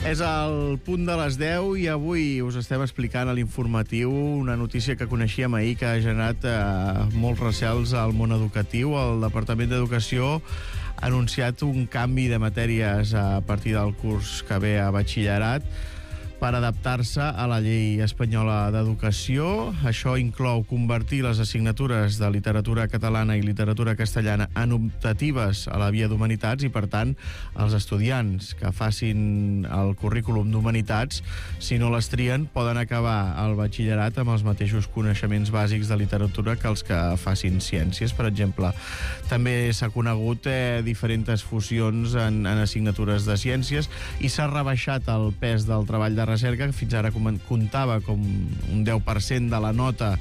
És el punt de les 10 i avui us estem explicant a l'informatiu una notícia que coneixíem ahir que ha generat molts recels al món educatiu. El Departament d'Educació ha anunciat un canvi de matèries a partir del curs que ve a batxillerat per adaptar-se a la llei espanyola d'educació. Això inclou convertir les assignatures de literatura catalana i literatura castellana en optatives a la via d'Humanitats i, per tant, els estudiants que facin el currículum d'Humanitats, si no les trien, poden acabar el batxillerat amb els mateixos coneixements bàsics de literatura que els que facin ciències, per exemple. També s'ha conegut diferents fusions en assignatures de ciències i s'ha rebaixat el pes del treball de recerca, que fins ara comptava com un 10% de la nota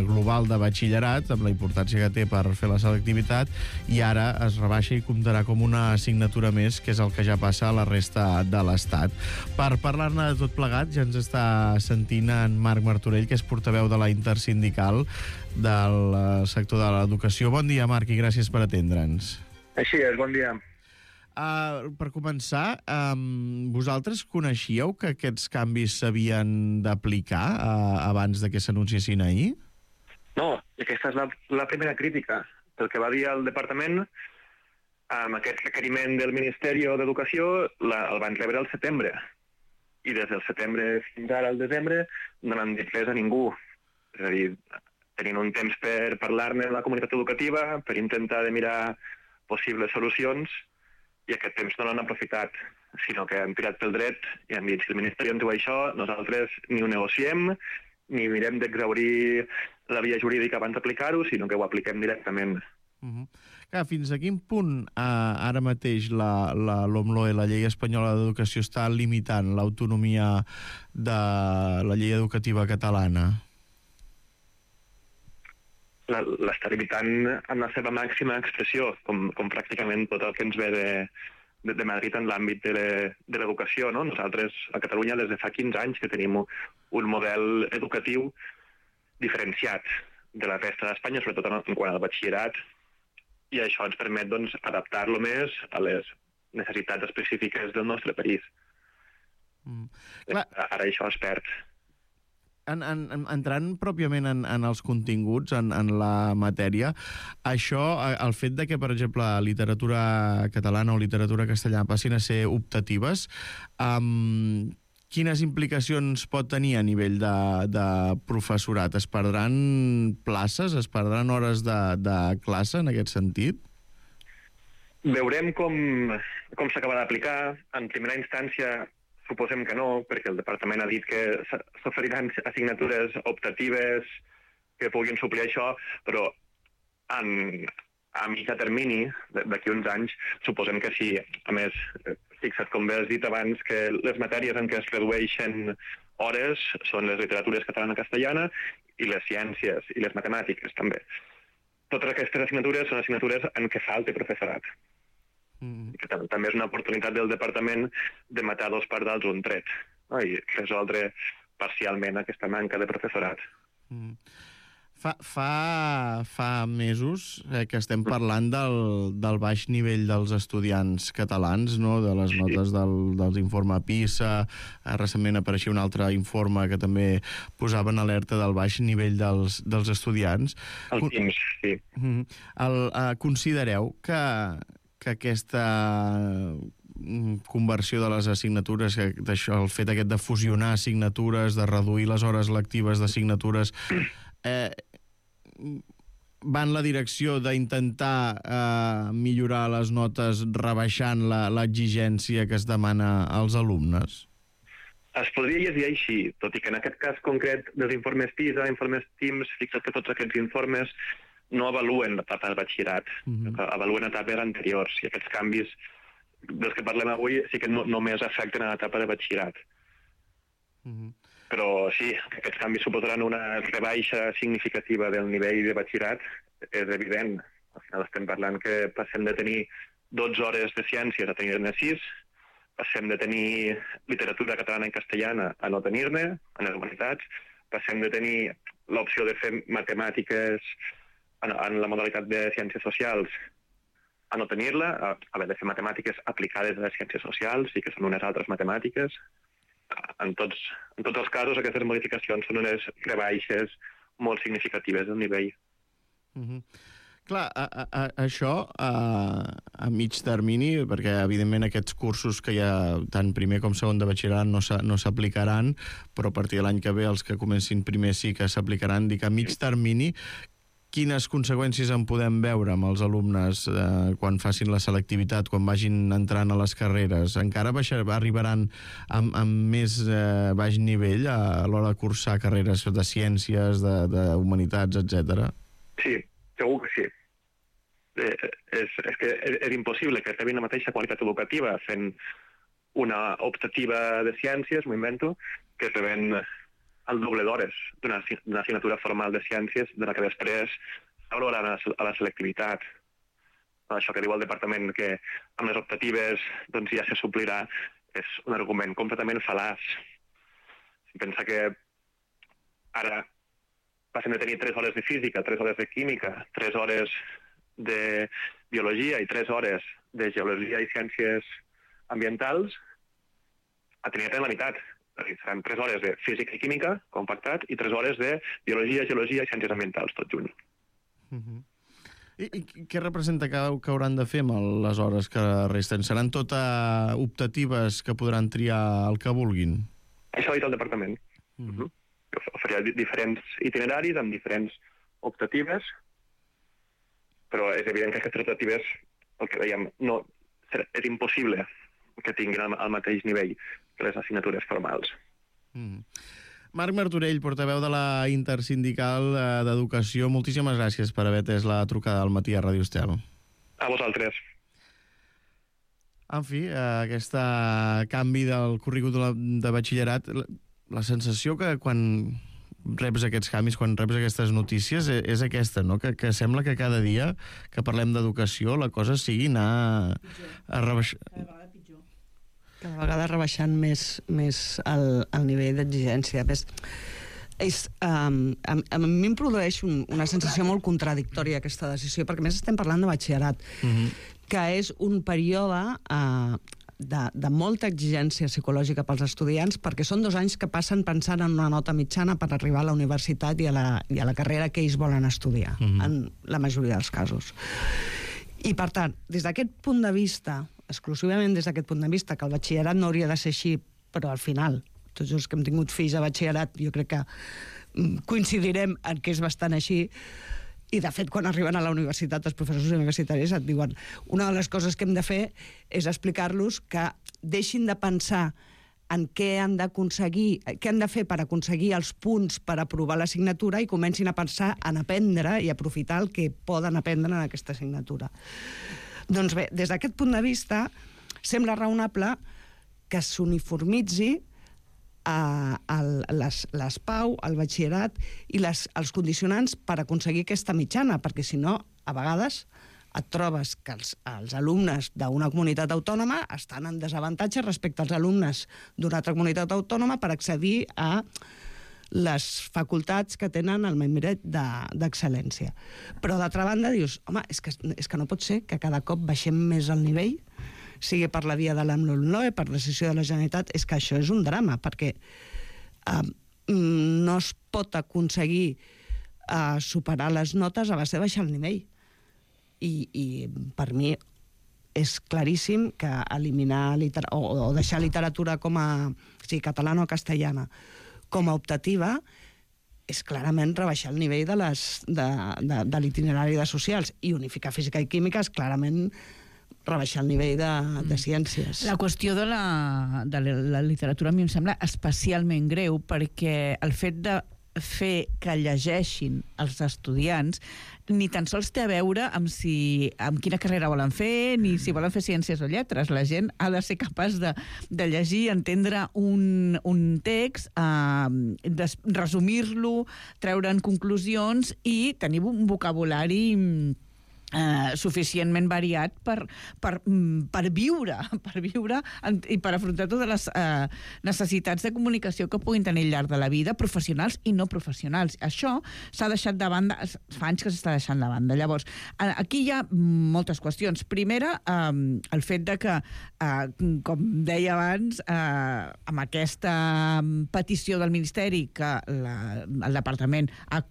global de batxillerat, amb la importància que té per fer la selectivitat, i ara es rebaixa i comptarà com una assignatura més, que és el que ja passa a la resta de l'Estat. Per parlar-ne de tot plegat, ja ens està sentint en Marc Martorell, que és portaveu de la Intersindical del sector de l'educació. Bon dia, Marc, i gràcies per atendre'ns. Així és, bon dia. Per començar, vosaltres coneixíeu que aquests canvis s'havien d'aplicar abans de que s'anunciessin ahir? No, aquesta és la primera crítica. El que va dir el departament, amb aquest requeriment del Ministeri d'Educació, el van rebre al setembre. I des del setembre fins ara al desembre no n'han dit res a ningú. És a dir, tenint un temps per parlar-ne amb la comunitat educativa, per intentar de mirar possibles solucions, i aquest temps no l'han aprofitat, sinó que han tirat pel dret i han dit, si el Ministeri en diu això, nosaltres ni ho negociem, ni mirem d'exhaurir la via jurídica abans d'aplicar-ho, sinó que ho apliquem directament. Clar, fins a quin punt ara mateix la LOMLOE, la Llei Espanyola d'Educació, està limitant l'autonomia de la llei educativa catalana? L'està limitant en la seva màxima expressió, com pràcticament tot el que ens ve de Madrid en l'àmbit de l'educació, no? Nosaltres a Catalunya des de fa 15 anys que tenim un model educatiu diferenciat de la resta d'Espanya, sobretot en quant al batxillerat, i això ens permet adaptar-lo més a les necessitats específiques del nostre país. Ara això es perd. Entrant pròpiament en els continguts, en la matèria, això, el fet de que, per exemple, literatura catalana o literatura castellana passin a ser optatives, quines implicacions pot tenir a nivell de professorat? Es perdran places? Es perdran hores de classe en aquest sentit? Veurem com s'acaba d'aplicar. En primera instància suposem que no, perquè el departament ha dit que s'oferiran assignatures optatives que puguin suplir això, però a mitjà termini, d'aquí uns anys, suposem que sí. A més, fixa't, com bé has dit abans, que les matèries en què es redueixen hores són les literatures catalana-castellana i les ciències i les matemàtiques, també. Totes aquestes assignatures són assignatures en què falta professorat. Que també és una oportunitat del departament de matar dos pardals un tret, no? I resoldre parcialment aquesta manca de professorat. Fa mesos que estem parlant del baix nivell dels estudiants catalans, no? De les notes dels informe PISA. Recentment apareixia un altre informe que també posava en alerta del baix nivell dels estudiants. El TIMSS, sí. Considereu que aquesta conversió de les assignatures, el fet aquest de fusionar assignatures, de reduir les hores lectives d'assignatures, va en la direcció d'intentar millorar les notes rebaixant l'exigència que es demana als alumnes? Es podria llegir així, tot i que en aquest cas concret dels informes PISA, informes TIMSS, fixa't que tots aquests informes no avaluen l'etapa de batxillerat, avaluen etapes anteriors, i aquests canvis dels que parlem avui sí que només afecten a l'etapa de batxillerat. Però sí, aquests canvis suposaran una rebaixa significativa del nivell de batxillerat, és evident. Al final estem parlant que passem de tenir 12 hores de ciències a tenir-ne 6, passem de tenir literatura catalana i castellana a no tenir-ne, en les humanitats, passem de tenir l'opció de fer matemàtiques en la modalitat de ciències socials a no tenir-la, a haver de fer matemàtiques aplicades a les ciències socials i que són unes altres matemàtiques. En tots els casos, aquestes modificacions són unes rebaixes molt significatives del nivell. Clar, això a mig termini, perquè evidentment aquests cursos que hi ha tant primer com segon de batxillerat no s'aplicaran, però a partir de l'any que ve els que comencin primer sí que s'aplicaran. Dic, a mig termini, quines conseqüències en podem veure amb els alumnes quan facin la selectivitat, quan vagin entrant a les carreres? Encara arribaran amb més baix nivell a l'hora de cursar carreres de ciències, de humanitats, etc. Sí, segur que sí. És que és impossible que rebin la mateixa qualitat educativa fent una optativa de ciències, m'ho invento, que rebent el doble d'hores d'una assignatura formal de ciències de la que després s'aprovarà a la selectivitat. Això que diu el departament, que amb les optatives doncs, ja se suplirà, és un argument completament fal·laç. Si pensa que ara passen de tenir 3 hores de física, 3 hores de química, 3 hores de biologia i 3 hores de geologia i ciències ambientals, a tenir la meitat. Seran 3 hores de física i química, compactat, i 3 hores de biologia, geologia i ciències ambientals, tot junt. I què representa que hauran de fer amb les hores que resten? Seran totes optatives que podran triar el que vulguin? Això ha dit el departament. Oferirà diferents itineraris amb diferents optatives, però és evident que aquestes optatives, el que dèiem, és impossible que tinguin el mateix nivell que les assignatures formals. Marc Martorell, portaveu de la Intersindical d'Educació, moltíssimes gràcies per haver atès la trucada al matí a Ràdio Estel. A vosaltres. En fi, aquest canvi del currículum de batxillerat, la sensació que quan reps aquests canvis, quan reps aquestes notícies, és aquesta, no? Que sembla que cada dia que parlem d'educació la cosa sigui anar a rebaixar... Cada vegada rebaixant més el nivell d'exigència. A mi em produeix una sensació molt contradictòria aquesta decisió, perquè més estem parlant de batxillerat, que és un període de molta exigència psicològica pels estudiants, perquè són 2 anys que passen pensant en una nota mitjana per arribar a la universitat i a la carrera que ells volen estudiar, en la majoria dels casos. I, per tant, des d'aquest punt de vista, exclusivament des d'aquest punt de vista, que el batxillerat no hauria de ser així, però al final, tots els que hem tingut fills a batxillerat, jo crec que coincidirem en que és bastant així, i de fet, quan arriben a la universitat, els professors universitaris et diuen una de les coses que hem de fer és explicar-los que deixin de pensar en què han d'aconseguir, què han de fer per aconseguir els punts per aprovar l'assignatura i comencin a pensar en aprendre i aprofitar el que poden aprendre en aquesta assignatura. Doncs bé, des d'aquest punt de vista, sembla raonable que s'uniformitzi les PAU, el batxillerat i els condicionants per aconseguir aquesta mitjana, perquè si no, a vegades et trobes que els alumnes d'una comunitat autònoma estan en desavantatge respecte als alumnes d'una altra comunitat autònoma per accedir a les facultats que tenen el membre d'excel·lència. Però, d'altra banda, dius, home, és que no pot ser que cada cop baixem més el nivell, sigui per la via de l'AMLOE, per decisió de la Generalitat, és que això és un drama, perquè no es pot aconseguir superar les notes a base de baixar el nivell. I per mi és claríssim que eliminar o deixar literatura com a catalana o castellana com a optativa és clarament rebaixar el nivell de l'itinerari de socials, i unificar física i química és clarament rebaixar el nivell de ciències. La qüestió de la literatura a mi em sembla especialment greu, perquè el fet de fer que llegeixin els estudiants ni tan sols té a veure amb quina carrera volen fer, ni si volen fer ciències o lletres. La gent ha de ser capaç de llegir, entendre un text, resumir-lo, treure'n conclusions i tenir un vocabulari suficientment variat per viure i per afrontar totes les necessitats de comunicació que puguin tenir al llarg de la vida, professionals i no professionals. Això s'ha deixat de banda, fa anys que s'està deixant de banda. Llavors, aquí hi ha moltes qüestions. Primera, el fet de que, com deia abans, amb aquesta petició del Ministeri que el Departament ha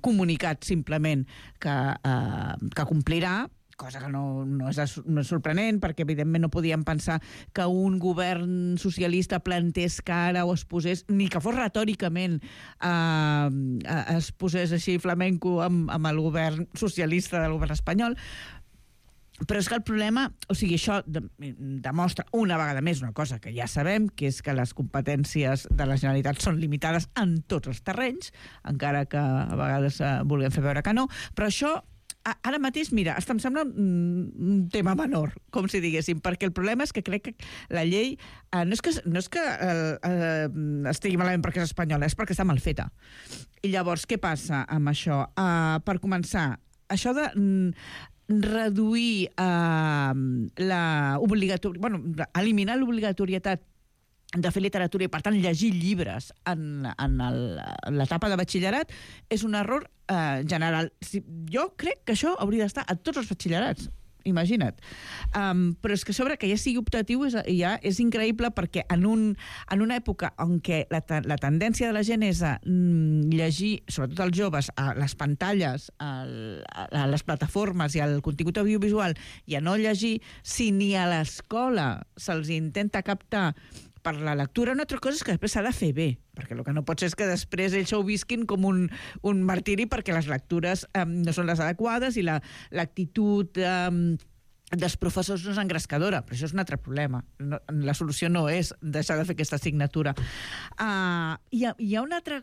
comunicat simplement que complirà, cosa que no és sorprenent, perquè evidentment no podíem pensar que un govern socialista plantés cara o es posés, ni que fos retòricament es posés així flamenco amb el govern socialista del govern espanyol. Però és que el problema, o sigui, això demostra una vegada més una cosa que ja sabem, que és que les competències de la Generalitat són limitades en tots els terrenys, encara que a vegades vulguem fer veure que no, però això ara mateix, mira, em sembla un tema menor, com si diguéssim, perquè el problema és que crec que la llei no és que estigui malament perquè és espanyola, és perquè està mal feta. I llavors, què passa amb això? Per començar, això de reduir eliminar l'obligatorietat de fer literatura i, per tant, llegir llibres en l'etapa de batxillerat és un error general. Jo crec que això hauria d'estar a tots els batxillerats, imagina't. Però és que a sobre que ja sigui optatiu ja és increïble, perquè en una època en què la tendència de la gent és a llegir, sobretot els joves, a les pantalles, a les plataformes i al contingut audiovisual, i a no llegir, si ni a l'escola se'ls intenta captar per la lectura, una altra cosa és que després s'ha de fer bé, perquè el que no pot ser és que després ells ho visquin com un martiri perquè les lectures no són les adequades i l'actitud dels professors no és engrescadora, però això és un altre problema. La solució no és deixar de fer aquesta assignatura. Hi ha un altre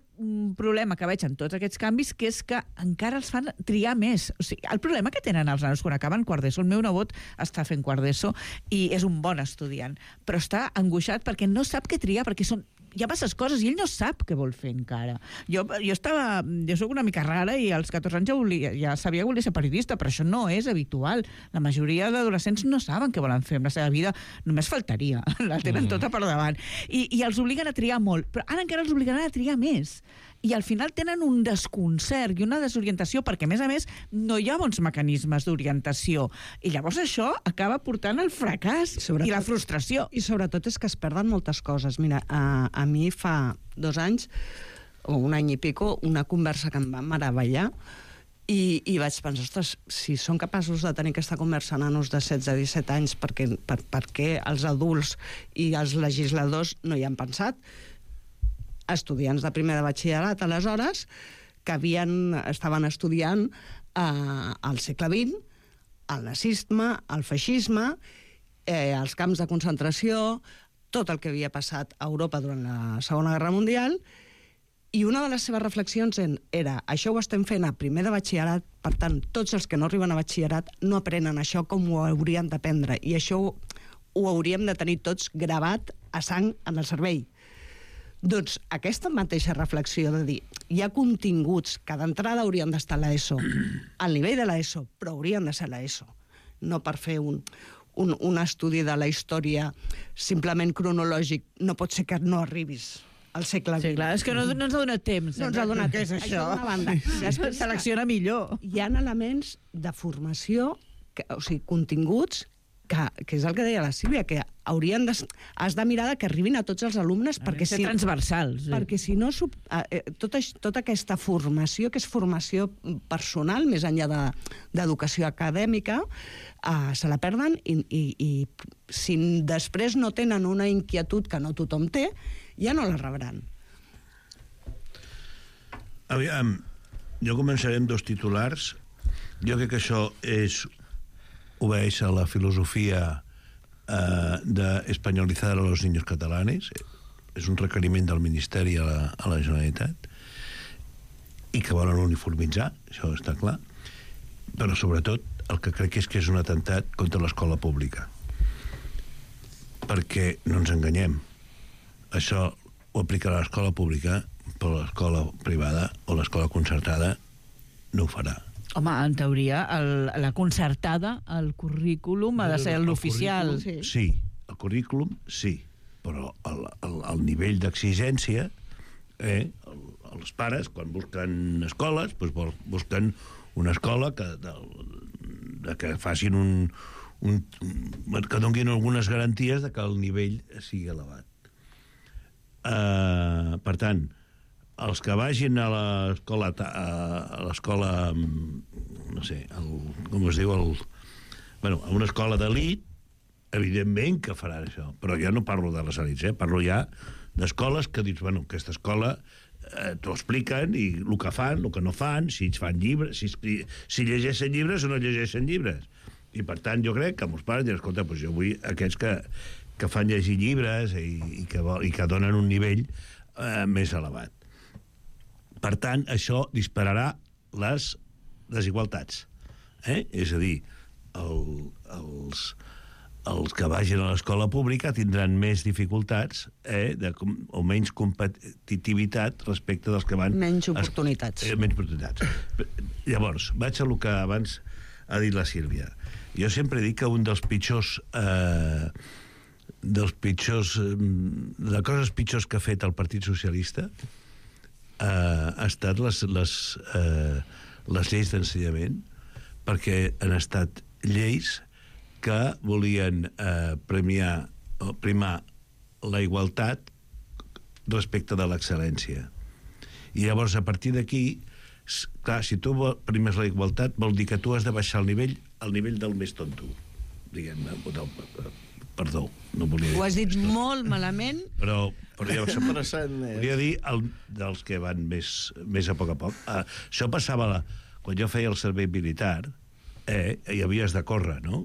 problema que veig en tots aquests canvis, que és que encara els fan triar més. O sigui, el problema que tenen els nanos quan acaben quart d'ESO, el meu nebot està fent quart d'ESO i és un bon estudiant, però està angoixat perquè no sap què triar, perquè hi ha masses coses i ell no sap què vol fer encara. Jo soc una mica rara i als 14 anys ja sabia que volia ser periodista, però això no és habitual. La majoria d'adolescents no saben què volen fer amb la seva vida, només faltaria, la tenen tota per davant. I els obliguen a triar molt, però ara encara els obligaran a triar més. I al final tenen un desconcert i una desorientació, perquè a més no hi ha bons mecanismes d'orientació, i llavors això acaba portant al fracàs i la frustració. I sobretot és que es perden moltes coses. Mira, a mi fa 2 anys o un any i pico una conversa que em va meravellar i vaig pensar, ostres, si són capaços de tenir aquesta conversa nanos de 16-17 anys, per què els adults i els legisladors no hi han pensat? Estudiants de primer de batxillerat, aleshores, que estaven estudiant al segle XX, el nazisme, el feixisme, els camps de concentració, tot el que havia passat a Europa durant la Segona Guerra Mundial, i una de les seves reflexions era: això ho estem fent a primer de batxillerat, per tant, tots els que no arriben a batxillerat no aprenen això com ho haurien d'aprendre, i això ho hauríem de tenir tots gravat a sang en el cervell. Doncs aquesta mateixa reflexió de dir, hi ha continguts que d'entrada haurien d'estar a l'ESO, al nivell de l'ESO, però haurien de ser a l'ESO, no per fer un estudi de la història simplement cronològic. No pot ser que no arribis al segle XX. Sí, clar, és que no ens ha donat temps. No ens ha donat Què és això? d'una banda. Selecciona millor. Hi ha elements de formació, o sigui, continguts, que és el que deia la Sílvia, que has de mirar que arribin a tots els alumnes, perquè ser transversals. Perquè si no, tota aquesta formació, que és formació personal, més enllà d'educació acadèmica, se la perden, i si després no tenen una inquietud que no tothom té, ja no la rebran. Aviam, jo començaré amb 2 titulars. Jo crec que això obedeix a la filosofia de espanyolitzar a los niños catalanes. És un requeriment del Ministeri a la Generalitat, i que volen uniformitzar, això està clar, però sobretot el que crec és que és un atemptat contra l'escola pública, perquè no ens enganyem, això ho aplicarà l'escola pública, però l'escola privada o l'escola concertada no ho farà. Home, en teoria, la concertada, el currículum ha de ser l'oficial. Sí, el currículum sí, però el nivell d'exigència, els pares, quan busquen escoles, doncs busquen una escola que facin que donin algunes garanties de que el nivell sigui elevat. Per tant, els que vagin a l'escola, no sé, com es diu, a una escola d'elit, evidentment que faran això, però jo no parlo de les elits, parlo ja d'escoles que dius, aquesta escola t'ho expliquen, i el que fan, el que no fan, si fan llibres, si llegeixen llibres o no llegeixen llibres. I per tant jo crec que molts pares diuen, escolta, doncs jo vull aquests que fan llegir llibres i que donen un nivell més elevat. Per tant, això dispararà les desigualtats. És a dir, els que vagin a l'escola pública tindran més dificultats o menys competitivitat respecte dels que van... Menys oportunitats. Menys oportunitats. Llavors, vaig a lo que abans ha dit la Sílvia. Jo sempre dic que un dels pitjors... de coses pitjors que ha fet el Partit Socialista ha estat les lleis d'ensenyament, perquè han estat lleis que volien primar la igualtat respecte de l'excel·lència. I llavors, a partir d'aquí, clar, si tu primes la igualtat, vol dir que tu has de baixar el nivell del més tonto, diguem-ne. Perdó, no volia dir. Ho has dit molt malament. Però ja volia dir dels que van més a poc. Això passava quan jo feia el servei militar, hi havies de córrer, no?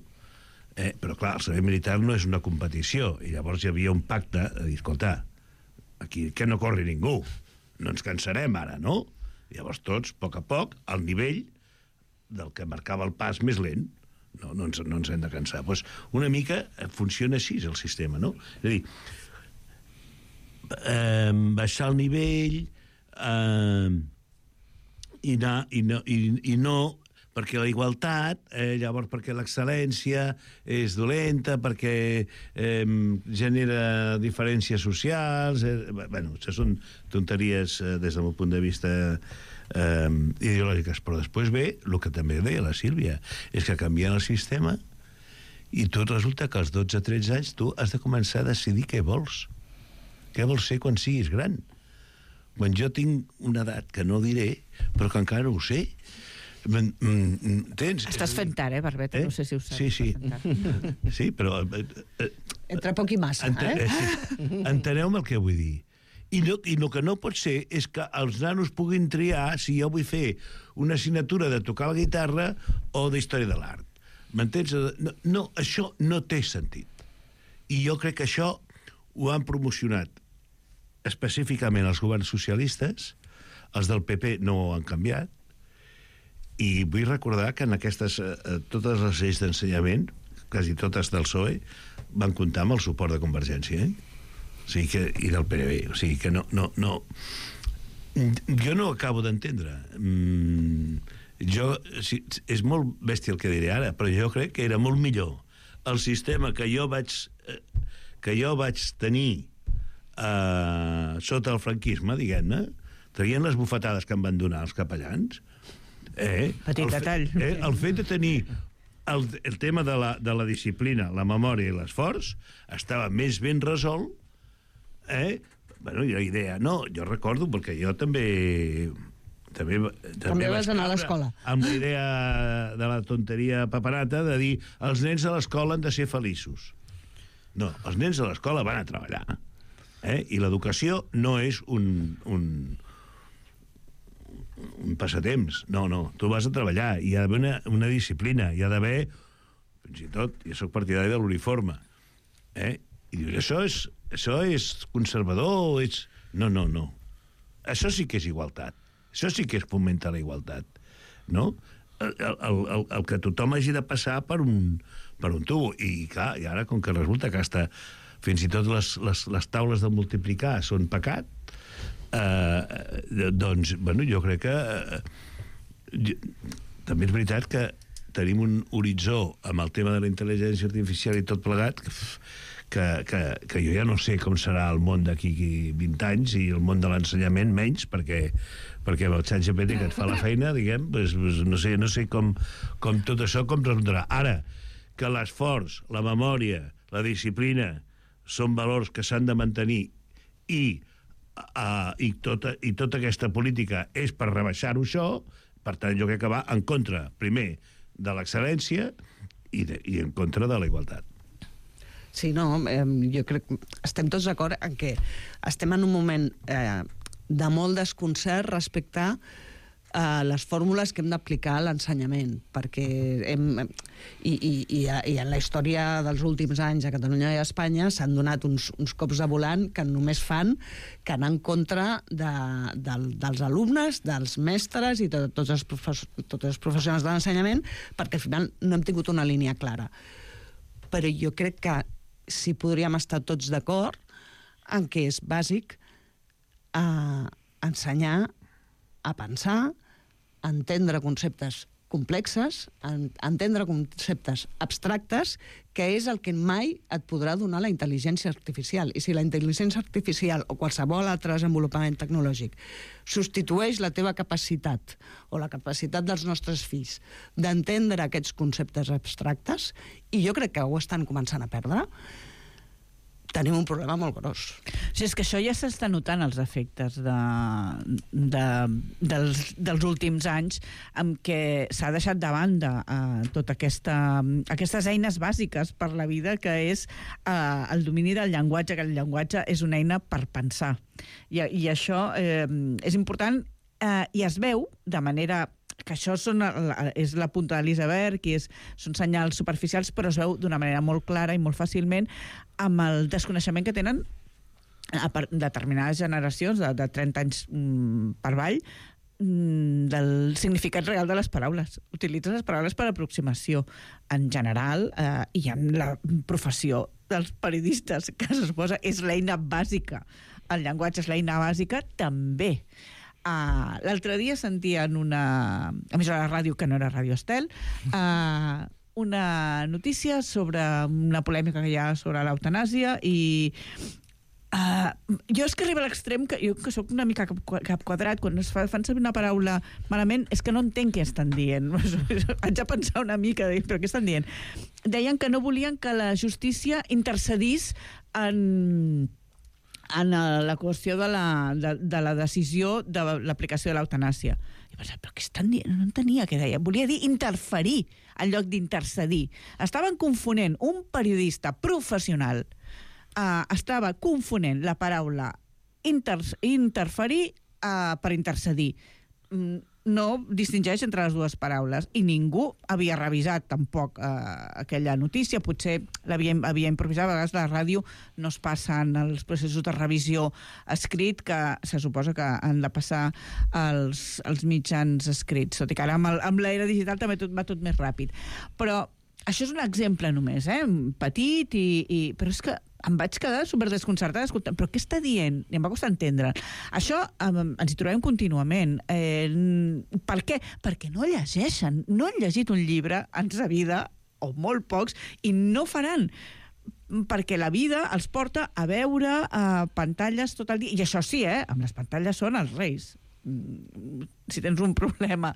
Però clar, el servei militar no és una competició, i llavors hi havia un pacte de dir, escolta, aquí que no corri ningú, no ens cansarem ara, no? I llavors tots, a poc, al nivell del que marcava el pas més lent, no ens hem de cansar. Doncs una mica funciona així el sistema, no? És a dir, baixar el nivell i no perquè la igualtat, llavors perquè l'excel·lència és dolenta, perquè genera diferències socials... això són tonteries des del meu punt de vista ideològiques, però després ve el que també deia la Sílvia, és que canvien el sistema i tot resulta que als 12-13 anys tu has de començar a decidir què vols ser quan siguis gran. Quan jo tinc una edat que no diré, però que encara no ho sé. Estàs fent tard, Barbeta? No sé si ho saps. Sí, però... Entre poc i massa, Enteneu-me el que vull dir. I el que no pot ser és que els nanos puguin triar si jo vull fer una assignatura de tocar la guitarra o d'història de l'art. M'entens? No, això no té sentit. I jo crec que això ho han promocionat específicament els governs socialistes, els del PP no ho han canviat, i vull recordar que en aquestes totes les lleis d'ensenyament, quasi totes del PSOE, van comptar amb el suport de Convergència, O sigui que, i del PNB, o sigui que no. Jo no acabo d'entendre. És molt bèstia el que diré ara, però jo crec que era molt millor el sistema que jo vaig tenir sota el franquisme, diguem-ne, traient les bufetades que em van donar els capellans. Petit detall. El fet de tenir el tema de la disciplina, la memòria i l'esforç estava més ben resolt. Bueno, i la idea, no, jo recordo, perquè jo també vas anar a l'escola. Amb la idea de la tonteria paperata de dir els nens a l'escola han de ser feliços. No, els nens a l'escola van a treballar. I l'educació no és un passatemps. No, tu vas a treballar. Hi ha d'haver una disciplina. Hi ha d'haver, fins i tot, jo soc partidari de l'uniforme. I dius, això és conservador, No. Això sí que és igualtat. Això sí que és fomenta la igualtat. No? El que tothom hagi de passar per un tubo. I clar, i ara, com que resulta que fins i tot les taules de multiplicar són pecat, doncs, bueno, jo crec que també és veritat que tenim un horitzó amb el tema de la intel·ligència artificial i tot plegat que jo ja no sé com serà el món d'aquí 20 anys i el món de l'ensenyament menys, perquè amb el ChatGPT que et fa la feina, diguem, no sé com tot això com resultarà. Ara, que l'esforç, la memòria, la disciplina són valors que s'han de mantenir i tota aquesta política és per rebaixar-ho això, per tant jo crec que va en contra, primer, de l'excel·lència i en contra de la igualtat. Sí, no, jo crec que estem tots d'acord en que estem en un moment de molt desconcert respecte a les fórmules que hem d'aplicar a l'ensenyament, perquè i en la història dels últims anys a Catalunya i a Espanya s'han donat uns cops de volant que només fan que anar en contra dels alumnes, dels mestres i tots els professionals de l'ensenyament, perquè al final no hem tingut una línia clara. Però jo crec que sí podríem estar tots d'acord en què és bàsic ensenyar a pensar, a entendre conceptes complexes, a entendre conceptes abstractes, que és el que mai et podrà donar la intel·ligència artificial. I si la intel·ligència artificial o qualsevol altre desenvolupament tecnològic substitueix la teva capacitat o la capacitat dels nostres fills d'entendre aquests conceptes abstractes, i jo crec que ho estan començant a perdre, tenim un problema molt gros. Sí, és que això ja s'està notant els efectes dels últims anys en què s'ha deixat de banda totes aquestes eines bàsiques per la vida, que és el domini del llenguatge, que el llenguatge és una eina per pensar. I això és important i es veu de manera que això és la punta de l'iceberg i són senyals superficials, però es veu d'una manera molt clara i molt fàcilment amb el desconeixement que tenen determinades generacions de 30 anys per avall del significat real de les paraules. Utilitzen les paraules per aproximació en general i en la professió dels periodistes, que se suposa és l'eina bàsica. El llenguatge és l'eina bàsica també. L'altre dia sentia en una emissora de ràdio que no era Ràdio Estel una notícia sobre una polèmica que hi ha sobre l'eutanàsia i jo és que arriba a l'extrem que jo que soc una mica cap quadrat, quan es fan servir una paraula malament és que no entenc què estan dient. Haig de pensar una mica, però què estan dient? Deien que no volien que la justícia intercedís en la qüestió de la decisió de l'aplicació de l'eutanàsia. I pensava, però què estan dient? No entenia què deia. Volia dir interferir en lloc d'intercedir. Estaven confonent un periodista professional, estava confonent la paraula interferir per intercedir. No distingeix entre les dues paraules i ningú havia revisat tampoc aquella notícia, potser havia improvisat. A vegades la ràdio no es passen els processos de revisió escrit que se suposa que han de passar els mitjans escrits, tot i que ara amb l'era digital també tot va tot més ràpid. Però això és un exemple només, petit, però és que em vaig quedar superdesconcertada escoltant, però què està dient? I em va costar entendre. Això ens hi trobem contínuament. Per què? Perquè no llegeixen. No han llegit un llibre en sa vida, o molt pocs, i no faran. Perquè la vida els porta a veure pantalles tot el dia. I això sí, amb les pantalles són els reis. Si tens un problema,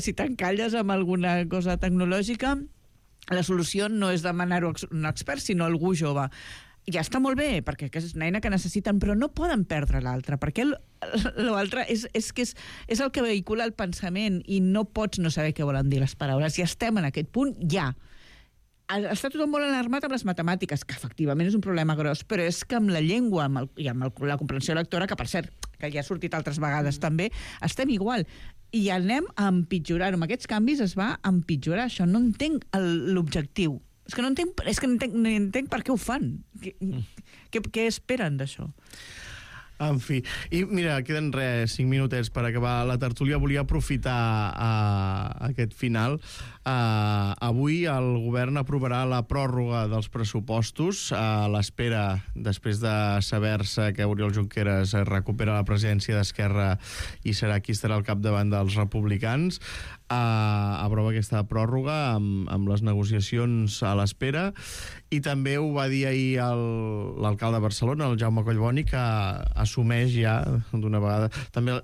si t'encalles amb alguna cosa tecnològica, la solució no és demanar-ho a un expert, sinó a algú jove. Ja està molt bé, perquè és una eina que necessiten, però no poden perdre l'altra, perquè l'altre és el que vehicula el pensament i no pots no saber què volen dir les paraules. Ja estem en aquest punt, ja. Està tothom molt alarmat amb les matemàtiques, que efectivament és un problema gros, però és que amb la llengua i amb la comprensió lectora, que per cert, que ja ha sortit altres vegades també, estem igual. I anem a empitjorar-ho. Amb aquests canvis es va empitjorar això. No entenc l'objectiu. És que no entenc per què ho fan. Què esperen d'això? En fi. I mira, queden 5 minutets per acabar la tertúlia. Volia aprofitar aquest final Avui el govern aprovarà la pròrroga dels pressupostos a l'espera, després de saber-se que Oriol Junqueras recupera la presidència d'Esquerra i serà qui estarà al capdavant dels republicans. Aprova aquesta pròrroga amb les negociacions a l'espera, i també ho va dir ahir l'alcalde de Barcelona, el Jaume Collboni, que assumeix ja d'una vegada, també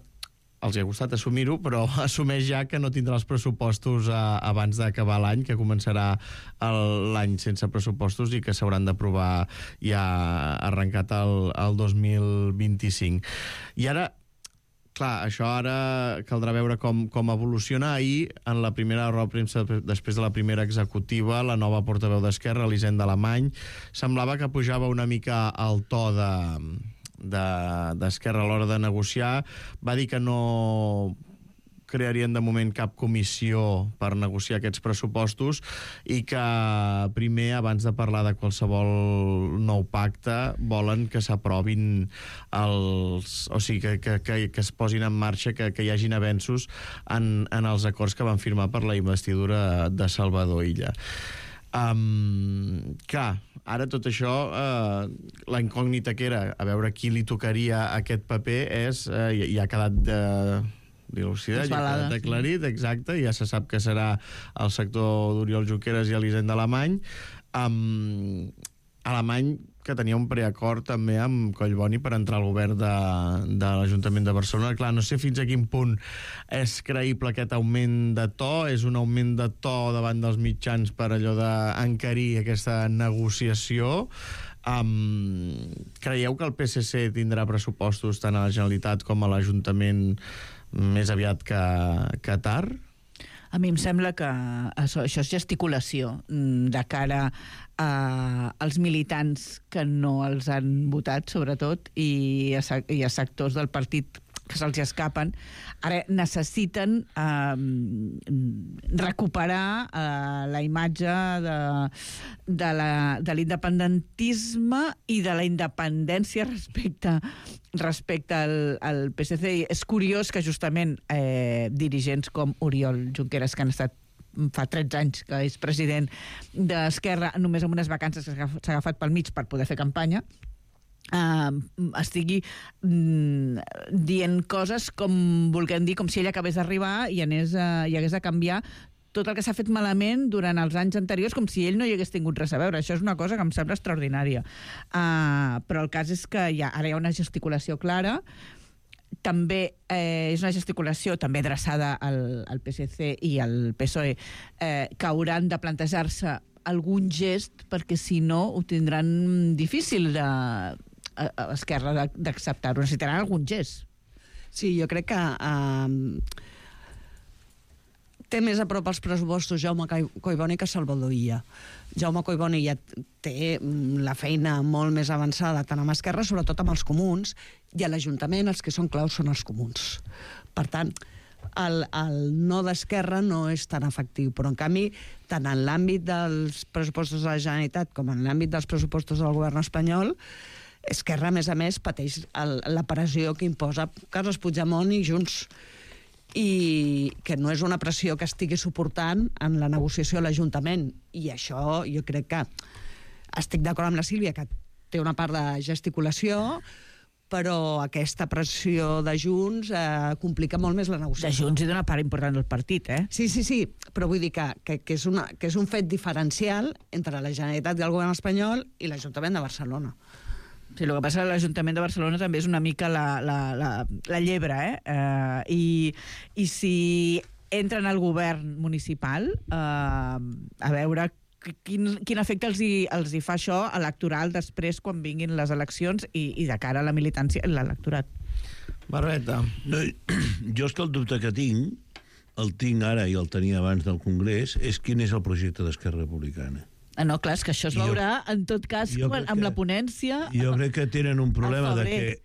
els hi ha costat assumir-ho, però assumeix ja que no tindrà els pressupostos abans d'acabar l'any, que començarà l'any sense pressupostos i que s'hauran d'aprovar ja arrencat el 2025. I ara, clar, això ara caldrà veure com evoluciona. Ahir, en la primera roda de premsa, després de la primera executiva, la nova portaveu d'Esquerra, Elisenda Alemany, semblava que pujava una mica el to d'Esquerra a l'hora de negociar. Va dir que no crearien de moment cap comissió per negociar aquests pressupostos i que primer, abans de parlar de qualsevol nou pacte, volen que s'aprovin o sigui, que es posin en marxa, que hi hagin avenços en els acords que van firmar per la investidura de Salvador Illa. Clar, ara tot això, la incògnita que era a veure qui li tocaria aquest paper ja ha quedat dilucidat, ja ha quedat aclarit, exacte, ja se sap que serà el sector d'Oriol Junqueras i Elisenda Alemany. Alemany, que tenia un preacord també amb Collboni per entrar al govern de l'Ajuntament de Barcelona. Clar, no sé fins a quin punt és creïble aquest augment de to, és un augment de to davant dels mitjans per allò d'encarir aquesta negociació. Creieu que el PSC tindrà pressupostos tant a la Generalitat com a l'Ajuntament més aviat que tard? A mi em sembla que això és gesticulació de cara als militants que no els han votat, sobretot, i a sectors del partit que se'ls escapen. Ara necessiten recuperar la imatge de l'independentisme i de la independència respecte al PSC. I és curiós que justament dirigents com Oriol Junqueras, que han estat fa 13 anys que és president d'Esquerra, només amb unes vacances que s'ha agafat pel mig per poder fer campanya, estigui dient coses com volguem dir, com si ell acabés d'arribar i hagués de canviar tot el que s'ha fet malament durant els anys anteriors, com si ell no hi hagués tingut res a veure. Això és una cosa que em sembla extraordinària. Però el cas és que ara hi ha una gesticulació clara. També és una gesticulació també adreçada al PSC i al PSOE, que hauran de plantejar-se algun gest, perquè si no ho tindran difícil Esquerra d'acceptar-ho. Necessitaran algun gest. Sí, jo crec que té més a prop els pressupostos Jaume Collboni que Salvador Illa. Jaume Collboni ja té la feina molt més avançada tant amb Esquerra, sobretot amb els comuns, i a l'Ajuntament els que són claus són els comuns. Per tant, el no d'Esquerra no és tan efectiu, però en canvi, tant en l'àmbit dels pressupostos de la Generalitat com en l'àmbit dels pressupostos del govern espanyol, Esquerra, a més, pateix la pressió que imposa Carles Puigdemont i Junts, i que no és una pressió que estigui suportant en la negociació a l'Ajuntament. I això jo crec que estic d'acord amb la Sílvia, que té una part de gesticulació, però aquesta pressió de Junts complica molt més la negociació. De Junts i d'una part important del partit, eh? Sí, però vull dir que és un fet diferencial entre la Generalitat i el govern espanyol i l'Ajuntament de Barcelona. Sí, el que passa a l'Ajuntament de Barcelona també és una mica la llebre, i si entren al govern municipal, a veure quin efecte els hi fa això electoral després quan vinguin les eleccions i de cara a la militància i l'electorat. Barbeta. No, jo és que el dubte que el tinc ara i el tenia abans del Congrés, és quin és el projecte d'Esquerra Republicana. No, clar, és que això es veurà, en tot cas, amb la ponència... Jo crec que tenen un problema de que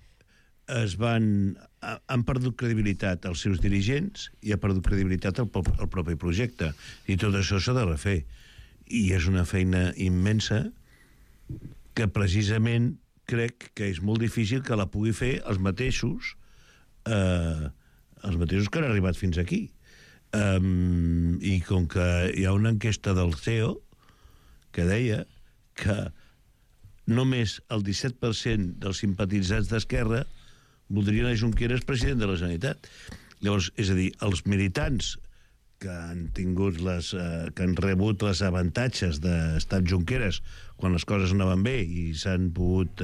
han perdut credibilitat els seus dirigents i ha perdut credibilitat el propi projecte. I tot això s'ha de refer. I és una feina immensa que precisament crec que és molt difícil que la pugui fer els mateixos que han arribat fins aquí. I com que hi ha una enquesta del CEO que deia que només el 17% dels simpatitzants d'Esquerra voldrien a Junqueras president de la Generalitat. Llavors, és a dir, els militants que han tingut que han rebut les avantatges d'estar Junqueras quan les coses anaven bé i s'han pogut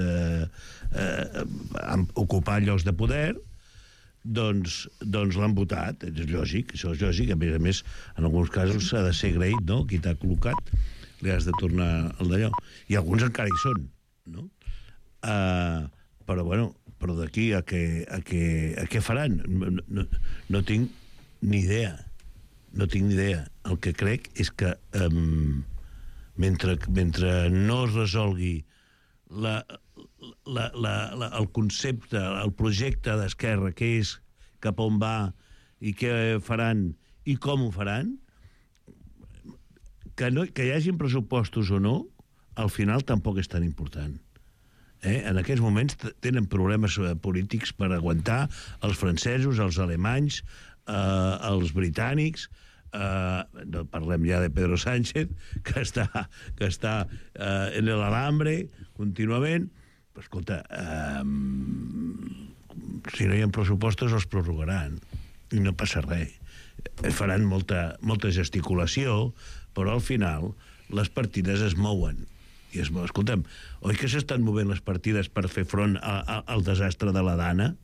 ocupar llocs de poder, doncs l'han votat. És lògic, això és lògic. A més, en alguns casos s'ha de ser agraït, no? Qui t'ha col·locat, li has de tornar el d'allò. I alguns encara hi són, no? Però, bueno, però d'aquí a què faran? No tinc ni idea. No tinc ni idea. El que crec és que mentre no es resolgui el concepte, el projecte d'Esquerra, què és, cap on va i què faran i com ho faran, que hi hagin pressupostos o no, al final tampoc és tan important. En aquests moments tenen problemes polítics per aguantar els francesos, els alemanys, els britànics, no parlem ja de Pedro Sánchez, que està en l'alambre contínuament. Però, escolta, si no hi ha pressupostos els prorrogaran i no passa res. Faran molta gesticulació, però al final les partides es mouen. I escolta'm, oi que s'estan movent les partides per fer front al desastre de la Dana?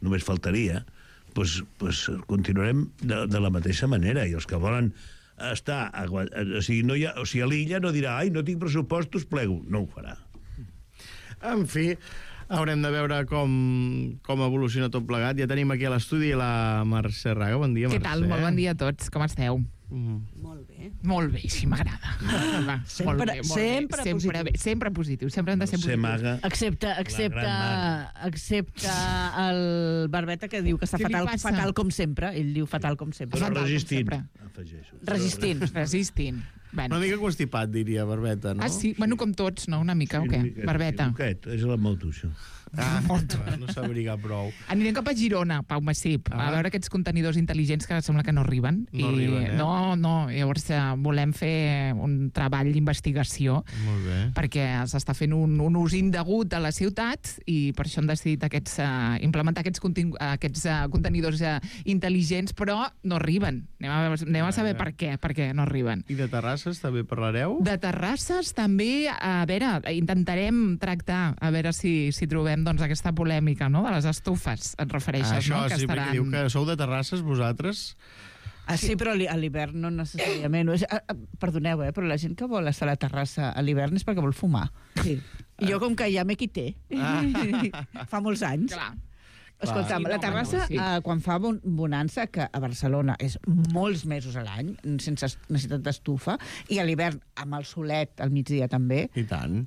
Només faltaria. Doncs continuarem de la mateixa manera. I els que volen estar... O sigui, a l'illa no dirà ai, no tinc pressupostos, plego. No ho farà. En fi, haurem de veure com evoluciona tot plegat. Ja tenim aquí a l'estudi la Mercè Raga. Bon dia, Mercè. Què tal? Molt bon dia a tots. Com esteu? Molt bé. Molt bé, així m'agrada. Sempre positiu. Sempre hem de ser positius. Excepte el Barbeta, que diu que està fatal com sempre. Ell diu fatal com sempre. Però resistint. Resistint. Una mica constipat, diria Barbeta, no? Ah, sí? Bueno, com tots, no? Una mica, o què? Barbeta. És la moto, això. No s'abriga prou. Anirem cap a Girona, Pau Massip, a veure aquests contenidors intel·ligents que sembla que no arriben. No, llavors volem fer un treball d'investigació perquè s'està fent un ús indegut a la ciutat i per això hem decidit implementar aquests contenidors intel·ligents, però no arriben. Anem a saber per què no arriben. I de Terrasses també parlareu? De Terrasses també, a veure, intentarem tractar, a veure si trobem aquesta polèmica, no?, de les estufes, et refereixes, no? Això, sí, perquè diu que sou de Terrasses, vosaltres? Sí, però a l'hivern no necessàriament. Perdoneu, però la gent que vol estar a la terrassa a l'hivern és perquè vol fumar. Sí. Jo, com que ja me quité, fa molts anys. Clar. Escolta'm, la terrassa, quan fa bonança, que a Barcelona és molts mesos a l'any, sense necessitat d'estufa, i a l'hivern amb el solet al migdia també. I tant.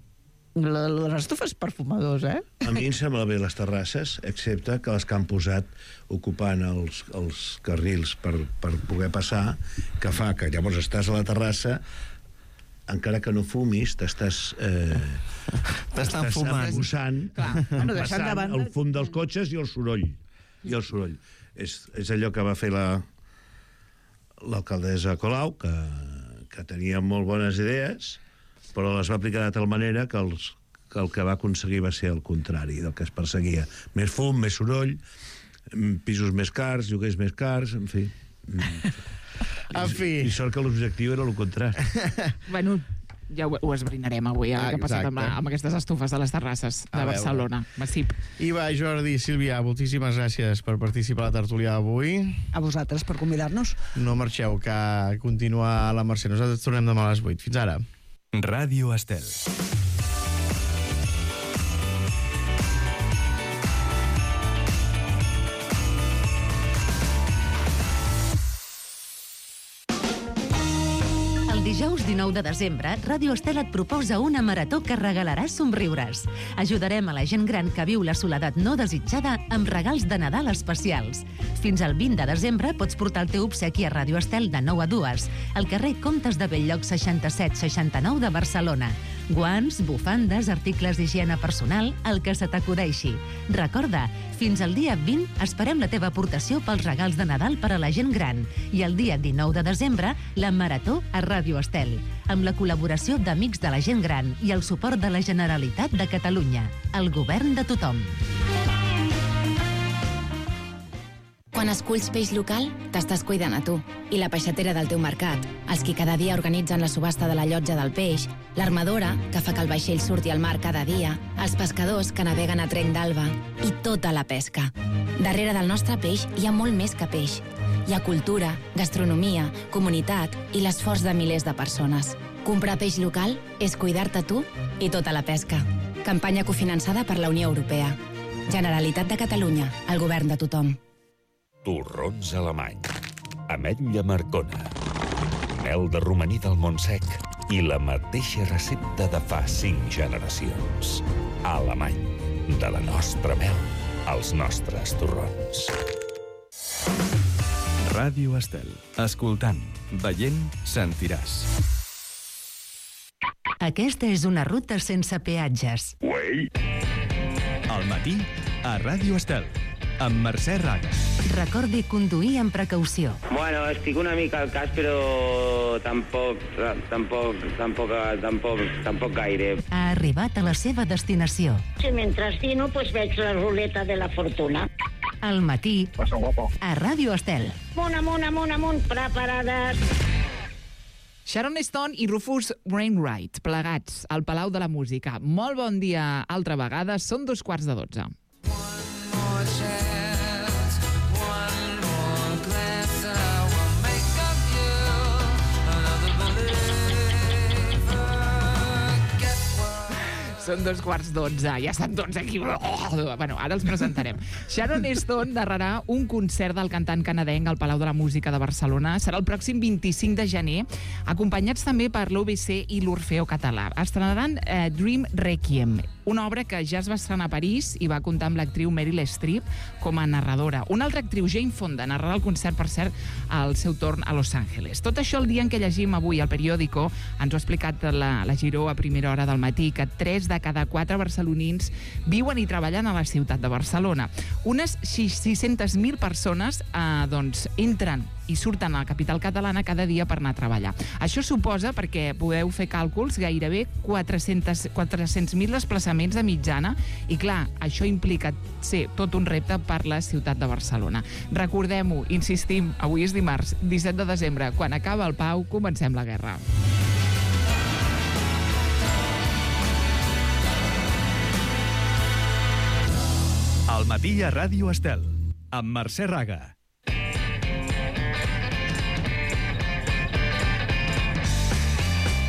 Les estufes perfumadors, eh? A mi em sembla bé les terrasses, excepte que les que han posat ocupant els carrils per poder passar, que fa que llavors estàs a la terrassa, encara que no fumis, t'estàs embussant, passant el fum dels cotxes i el soroll. És allò que va fer l'alcaldessa Colau, que tenia molt bones idees, però les va aplicar de tal manera que el que va aconseguir va ser el contrari del que es perseguia. Més fum, més soroll, pisos més cars, lloguers més cars, en fi. I sort que l'objectiu era el contrari. Bueno, ja ho esbrinarem avui, què ha passat amb aquestes estufes de les terrasses de Barcelona. Massip. Iva, Jordi, Sílvia, moltíssimes gràcies per participar a la tertúlia d'avui. A vosaltres per convidar-nos. No marxeu, que continua la Mercè. Nosaltres tornem demà a les 8. Fins ara. Ràdio Estel. El dijous 19 de desembre, Ràdio Estel et proposa una marató que regalarà somriures. Ajudarem a la gent gran que viu la soledat no desitjada amb regals de Nadal especials. Fins al 20 de desembre pots portar el teu obsequi a Ràdio Estel de 9 a 2, al carrer Comtes de Bell-lloc 67-69 de Barcelona. Guants, bufandes, articles d'higiene personal, el que se t'acudeixi. Recorda, fins al dia 20 esperem la teva aportació pels regals de Nadal per a la gent gran. I el dia 19 de desembre, la Marató a Ràdio Estel, amb la col·laboració d'Amics de la Gent Gran i el suport de la Generalitat de Catalunya. El govern de tothom. Quan esculls peix local, t'estàs cuidant a tu. I la peixatera del teu mercat, els qui cada dia organitzen la subhasta de la llotja del peix, l'armadora, que fa que el vaixell surti al mar cada dia, els pescadors que naveguen a trenc d'alba i tota la pesca. Darrere del nostre peix hi ha molt més que peix. Hi ha cultura, gastronomia, comunitat i l'esforç de milers de persones. Comprar peix local és cuidar-te tu i tota la pesca. Campanya cofinançada per la Unió Europea. Generalitat de Catalunya, el govern de tothom. Torrons alemany, ametlla marcona, mel de romaní del Montsec i la mateixa recepta de fa 5 generacions. Alemany, de la nostra mel als nostres torrons. Ràdio Estel. Escoltant, veient, sentiràs. Aquesta és una ruta sense peatges. Al matí, a Ràdio Estel, amb Mercè Raga. Recordi conduir amb precaució. Bueno, estic una mica al cas, però tampoc gaire. Ha arribat a la seva destinació. Si mentre dino, pues veig la ruleta de la fortuna. Al matí, a Ràdio Estel. Amunt, preparades. Sharon Stone i Rufus Wainwright, plegats al Palau de la Música. Molt bon dia altra vegada, són 2:15. Són 2:15, ja estan tots aquí. Bueno, ara els presentarem. Sharon Stone narrarà un concert del cantant canadenc al Palau de la Música de Barcelona. Serà el pròxim 25 de gener, acompanyats també per l'OBC i l'Orfeo Català. Estrenaran Dream Requiem, una obra que ja es va estrenar a París i va comptar amb l'actriu Meryl Streep com a narradora. Una altra actriu, Jane Fonda, narrarà el concert, per cert, al seu torn a Los Angeles. Tot això el dia en què llegim avui al periòdico, ens ho ha explicat la Giró a primera hora del matí, que 3 de cada 4 barcelonins viuen i treballen a la ciutat de Barcelona. Unes 600.000 persones entren i surten a la capital catalana cada dia per anar a treballar. Això suposa, perquè podeu fer càlculs, gairebé 400.000 desplaçaments de mitjana i, clar, això implica ser tot un repte per la ciutat de Barcelona. Recordem-ho, insistim, avui és dimarts, 17 de desembre. Quan acaba el Pau, comencem la guerra. Al matí a Ràdio Estel, amb Mercè Raga.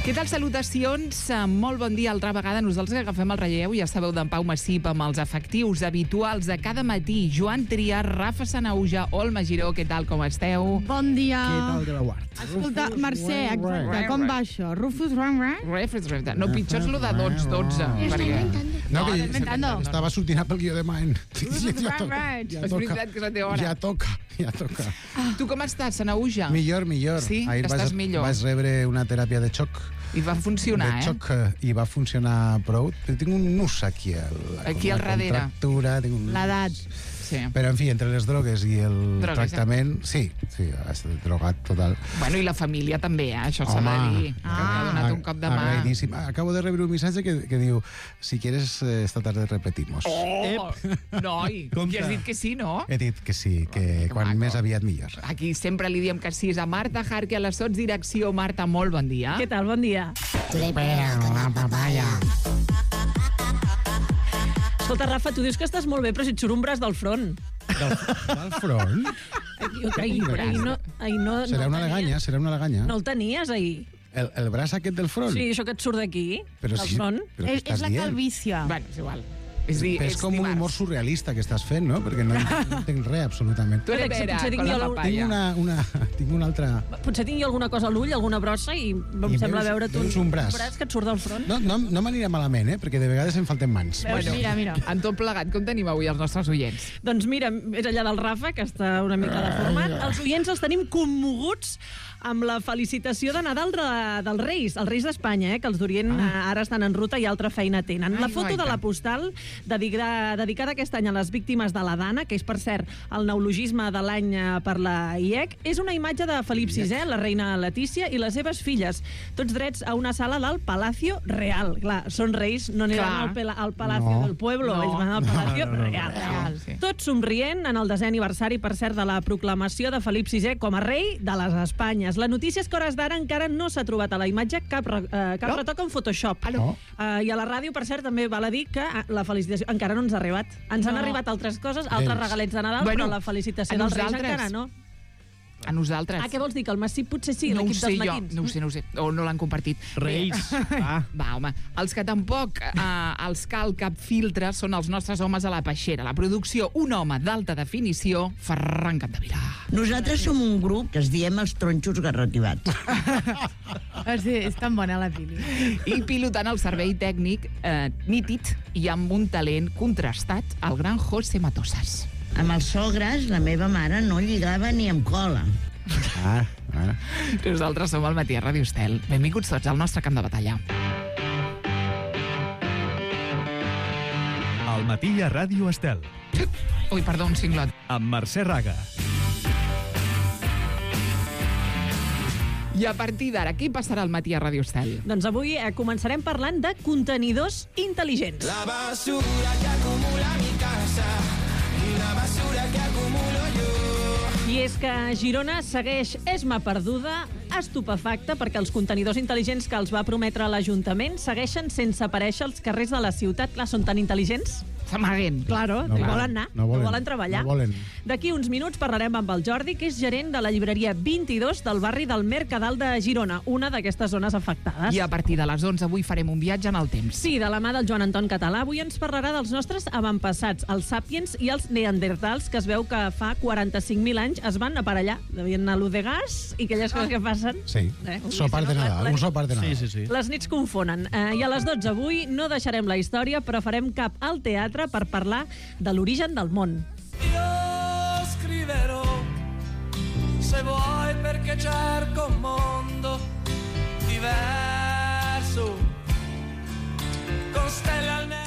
Què tal? Salutacions. Molt bon dia altra vegada. Nosaltres que agafem el relleu, ja sabeu, d'en Pau Massip amb els efectius habituals de cada matí. Joan Triar, Rafa Sanauja, Olma Giró, què tal, com esteu? Bon dia. Què tal de la guard? Escolta, Mercè, exacte, com va això? Rufus Wainwright? No, pitjor és lo de 12. No, que estava sortint pel guió de Maen. És veritat que és la teva hora. Ja toca. Tu com estàs, Sanauja? Millor. Sí? Ahir Estàs millor? vaig rebre una teràpia de xoc. I va funcionar, de xoc, i va funcionar prou. Tinc un nus aquí al darrere. Contractura, l'edat. Sí. Però, en fi, entre les drogues i el tractament... Sí, ha estat drogat total. Bueno, i la família també, això s'ha de dir. Que ha donat un cop de mà. Agraïdíssim. Acabo de rebre un missatge que diu: si quieres, esta tarde repetimos. Noi, que has dit que sí, no? He dit que sí, que quan més aviat millor. Aquí sempre li diem que sí. A Marta Jarque, a la sotsdirecció. Marta, molt bon dia. Què tal? Bon dia. La papaya. Escolta, Rafa, tu dius que estàs molt bé, però si et surt un braç del front. Del front? Ahir no... Serà una leganya. No el tenies, ahir. El braç aquest del front? Sí, això que et surt d'aquí, del front. És la calvícia. Bueno, és igual. És com un humor surrealista que estàs fent, no? Perquè no entenc res, absolutament. Tu eres vera, con la papaya. Tinc una altra... Potser tingui alguna cosa a l'ull, alguna brossa, i em sembla veure tu un braç que et surt del front. No m'anirà malament, perquè de vegades em falten mans. Bueno, mira. En tot plegat, com tenim avui els nostres oients? Doncs mira, és allà del Rafa, que està una mica deformat. Els oients els tenim commoguts amb la felicitació de Nadal dels Reis, els Reis d'Espanya, que els d'Orient ara estan en ruta i altra feina tenen. La foto de la postal dedicada aquest any a les víctimes de la Dana, que és, per cert, el neologisme de l'any per la IEC, és una imatge de Felip VI, la reina Letícia i les seves filles, tots drets a una sala del Palacio Real. Clar, són reis, no aniran al Palacio del Pueblo, ells van al Palacio Real. Tots somrient en el 10è aniversari, per cert, de la proclamació de Felip VI com a rei de les Espanyes. La notícia és que a hores d'ara encara no s'ha trobat a la imatge cap retoc en Photoshop. I a la ràdio, per cert, també val a dir que la felicitació encara no ens ha arribat. Ens han arribat altres coses, altres regalets de Nadal, però la felicitació dels Reis encara no. A nosaltres. Què vols dir? Que el Massip potser sí, l'equip dels matins? No ho sé. O no l'han compartit. Reis. Va, home. Els que tampoc els cal cap filtre són els nostres homes a la peixera. La producció, un home d'alta definició, Ferran Capdevila. Nosaltres som un grup que es diem els tronxos garrotivats. Sí, és tan bona la pili. I pilotant el servei tècnic nítid i amb un talent contrastat, el gran José Matosas. Amb els sogres, la meva mare no lligava ni amb cola. Nosaltres som al Matí a Ràdio Estel. Benvinguts tots al nostre camp de batalla. Al Matí a Ràdio Estel. Ui, perdó, un cinglot. Amb Mercè Raga. I a partir d'ara, què passarà al Matí a Ràdio Estel? Doncs avui començarem parlant de contenidors intel·ligents. La basura que acumula mi casa i la basura que acumulo yo. I és que Girona segueix esma perduda, estupefacta, perquè els contenidors intel·ligents que els va prometre l'Ajuntament segueixen sense aparèixer als carrers de la ciutat. Clar, són tan intel·ligents. S'amaguen. Claro, no volen anar, no volen treballar. No volen. D'aquí uns minuts parlarem amb el Jordi, que és gerent de la llibreria 22 del barri del Mercadal de Girona, una d'aquestes zones afectades. I a partir de les 11 avui farem un viatge en el temps. Sí, de la mà del Joan Anton Català. Avui ens parlarà dels nostres avantpassats, els sàpiens i els neandertals, que es veu que fa 45.000 anys es van aparellar. Devien anar a l'U de gas i aquelles coses que passen. Sí, sopar de Nadal, un sopar de Nadal. Sí. Les nits confonen. I a les 12 avui no deixarem la història, però farem cap al teatre per parlar de l'origen del món. Io scriverò se vuoi perché cerco un mondo diverso con stelle al neo.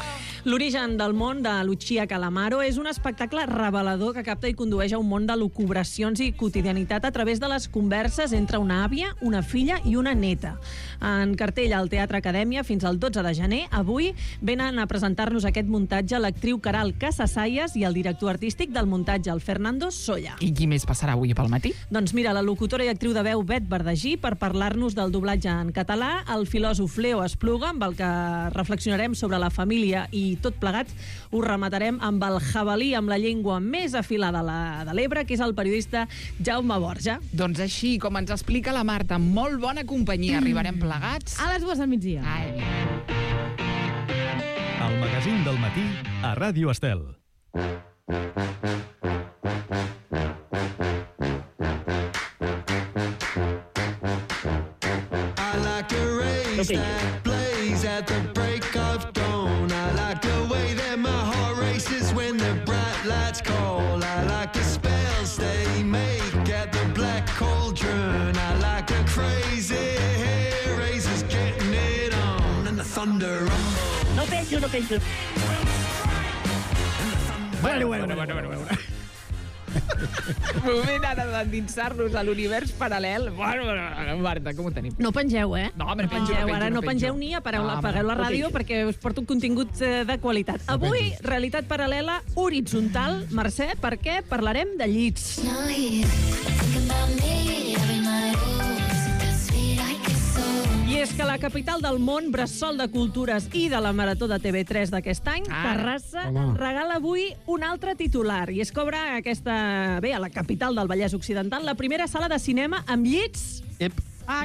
L'origen del món de Lucia Calamaro és un espectacle revelador que capta i condueix a un món de lucubracions i quotidianitat a través de les converses entre una àvia, una filla i una neta. En cartell al Teatre Acadèmia fins al 12 de gener. Avui venen a presentar-nos aquest muntatge l'actriu Caral Casasayas i el director artístic del muntatge, el Fernando Solla. I qui més passarà avui pel matí? Doncs mira, la locutora i actriu de veu Bet Verdagí per parlar-nos del doblatge en català, el filòsof Leo Espluga, amb el que reflexionarem sobre la família, i tot plegat ho rematarem amb el jabalí amb la llengua més afilada de l'Ebre, que és el periodista Jaume Borja. Doncs així, com ens explica la Marta, molt bona companyia, arribarem plegats a les 2 del migdia. El magazín del matí a Ràdio Estel. I like a race that blaze at the break of dawn. I like the way that my heart races when the bright lights call. I like the spells they make at the black cauldron. I like the crazy hair raisers getting it on and the thunder rumble. No penso. Bueno. Moment ara d'endinsar-nos a l'univers paral·lel. Bueno, Marta, com ho tenim? No pengeu, No, home, no penjo. Ara no pengeu ni apagueu la ràdio perquè us porto un contingut de qualitat. Avui, realitat paral·lela horitzontal. Mercè, per què? Parlarem de llits. I és que la capital del món, bressol de cultures i de la Marató de TV3 d'aquest any, Terrassa, regala avui un altre titular. I és que obre a la capital del Vallès Occidental, la primera sala de cinema amb llits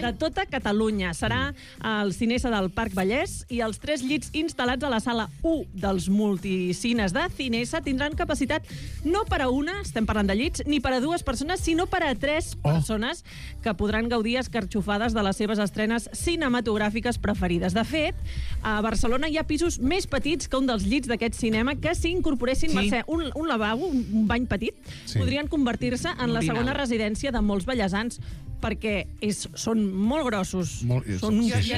de tota Catalunya. Serà al Cinesa del Parc Vallès i els 3 llits instal·lats a la sala 1 dels multicines de Cinesa tindran capacitat no per a una, estem parlant de llits, ni per a 2 persones, sinó per a 3 persones que podran gaudir escarxofades de les seves estrenes cinematogràfiques preferides. De fet, a Barcelona hi ha pisos més petits que un dels llits d'aquest cinema que si incorporessin, Mercè, un lavabo, un bany petit, podrien convertir-se en la segona residència de molts ballesans, perquè són molt grossos. Jo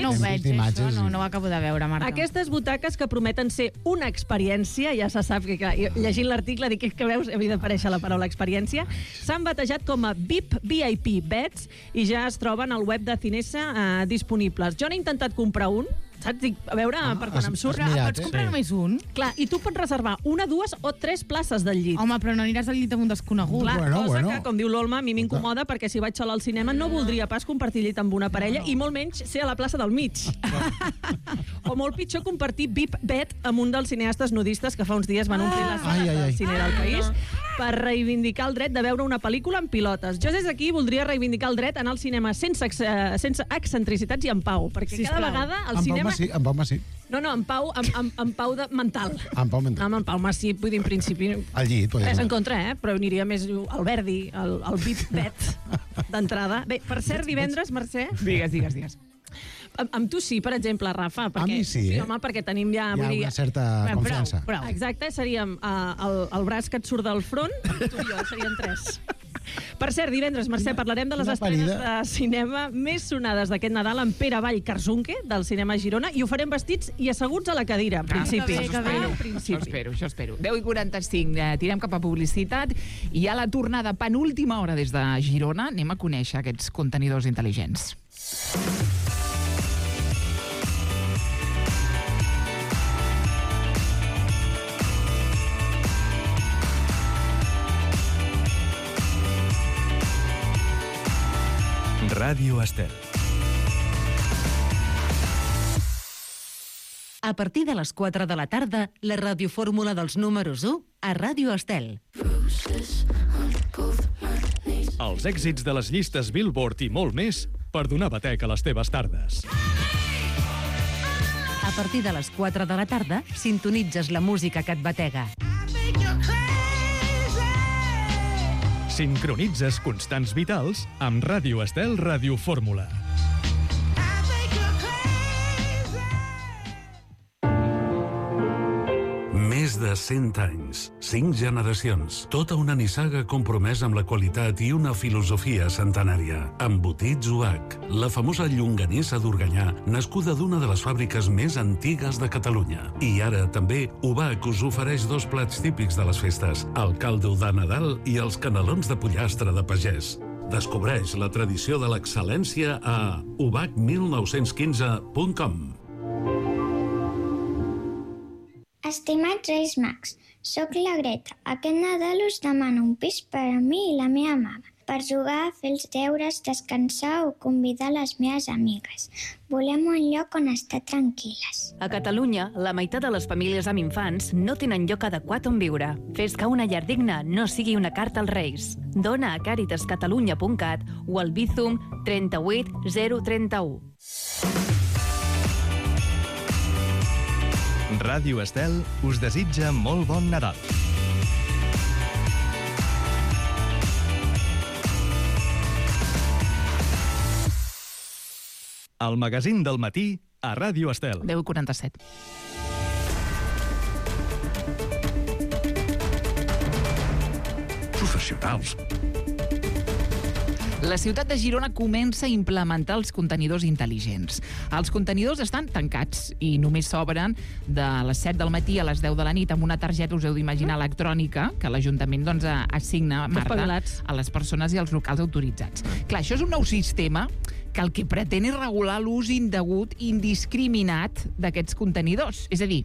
no ho veig, això, no ho acabo de veure, Marta. Aquestes butaques que prometen ser una experiència, ja se sap que llegint l'article dic que veus, havia d'aparèixer la paraula experiència, s'han batejat com a VIP Beds i ja es troben al web de Cinesa disponibles. Jo n'he intentat comprar un, saps? Dic, a veure, per quan em surt... Pots comprar només un? Clar, i tu pots reservar 1, 2 o 3 places del llit. Home, però no aniràs al llit amb un desconegut. Clar, cosa que, com diu l'Olma, a mi m'incomoda perquè si vaig sola al cinema no voldria pas compartir llit amb una parella i molt menys ser a la plaça del mig. O molt pitjor compartir VIP Bed amb un dels cineastes nudistes que fa uns dies van omplir les sales del cine del país per reivindicar el dret de veure una pel·lícula amb pilotes. Jo des d'aquí voldria reivindicar el dret a anar al cinema sense excentricitats i en pau, perquè cada vegada al cinema... En Pau Massí. No, en pau mental. En Pau mental. En Pau Massí, vull dir, en principi... Al llit, podria ser. És en contra, però aniria més al Verdi, al VIP Bet d'entrada. Bé, per cert, divendres, Mercè... Digues. Amb tu sí, per exemple, Rafa. A mi sí, Home, perquè tenim ja... Hi ha una certa confiança. Exacte, seríem el braç que et surt del front, tu i jo, serien 3. Per cert, divendres, Mercè, parlarem de les estrenes de cinema més sonades d'aquest Nadal amb Pere Vall Carzunque, del cinema Girona, i ho farem vestits i asseguts a la cadira, en principi. Això espero. 10:45, tirem cap a publicitat i a la tornada penúltima hora des de Girona anem a conèixer aquests contenidors intel·ligents. Ràdio Estel. A partir de les 4 de la tarda, la radiofórmula dels números 1 a Ràdio Estel. Els èxits de les llistes Billboard i molt més per donar batec a les teves tardes. A partir de les 4 de la tarda, sintonitzes la música que et batega. Sincronitzes constants vitals amb Ràdio Estel Radiofórmula. Més de 100 anys, 5 generacions, tota una nissaga compromesa amb la qualitat i una filosofia centenària. Embotits UH, la famosa llonganissa d'Organyà, nascuda d'una de les fàbriques més antigues de Catalunya. I ara també UH us ofereix 2 plats típics de les festes, el caldo de Nadal i els canelons de pollastre de pagès. Descobreix la tradició de l'excel·lència a ubach1915.com. Estimats Reis Mags, soc la Greta. Aquest Nadal us demano un pis per a mi i la meva mama, per jugar, fer els deures, descansar o convidar les meves amigues. Volem un lloc on estar tranquil·les. A Catalunya, la meitat de les famílies amb infants no tenen lloc adequat on viure. Fes que una llar digna no sigui una carta als Reis. Dona a caritascatalunya.cat o al Bizum 38 031. Ràdio Estel us desitja molt bon Nadal. El magazín del matí a Ràdio Estel. 10:47. Professionals. La ciutat de Girona comença a implementar els contenidors intel·ligents. Els contenidors estan tancats i només s'obren de les 7 del matí a les 10 de la nit amb una targeta, us heu d'imaginar, electrònica, que l'Ajuntament assigna, Marta, a les persones i als locals autoritzats. Clar, això és un nou sistema que el que pretén és regular l'ús indegut i indiscriminat d'aquests contenidors. És a dir,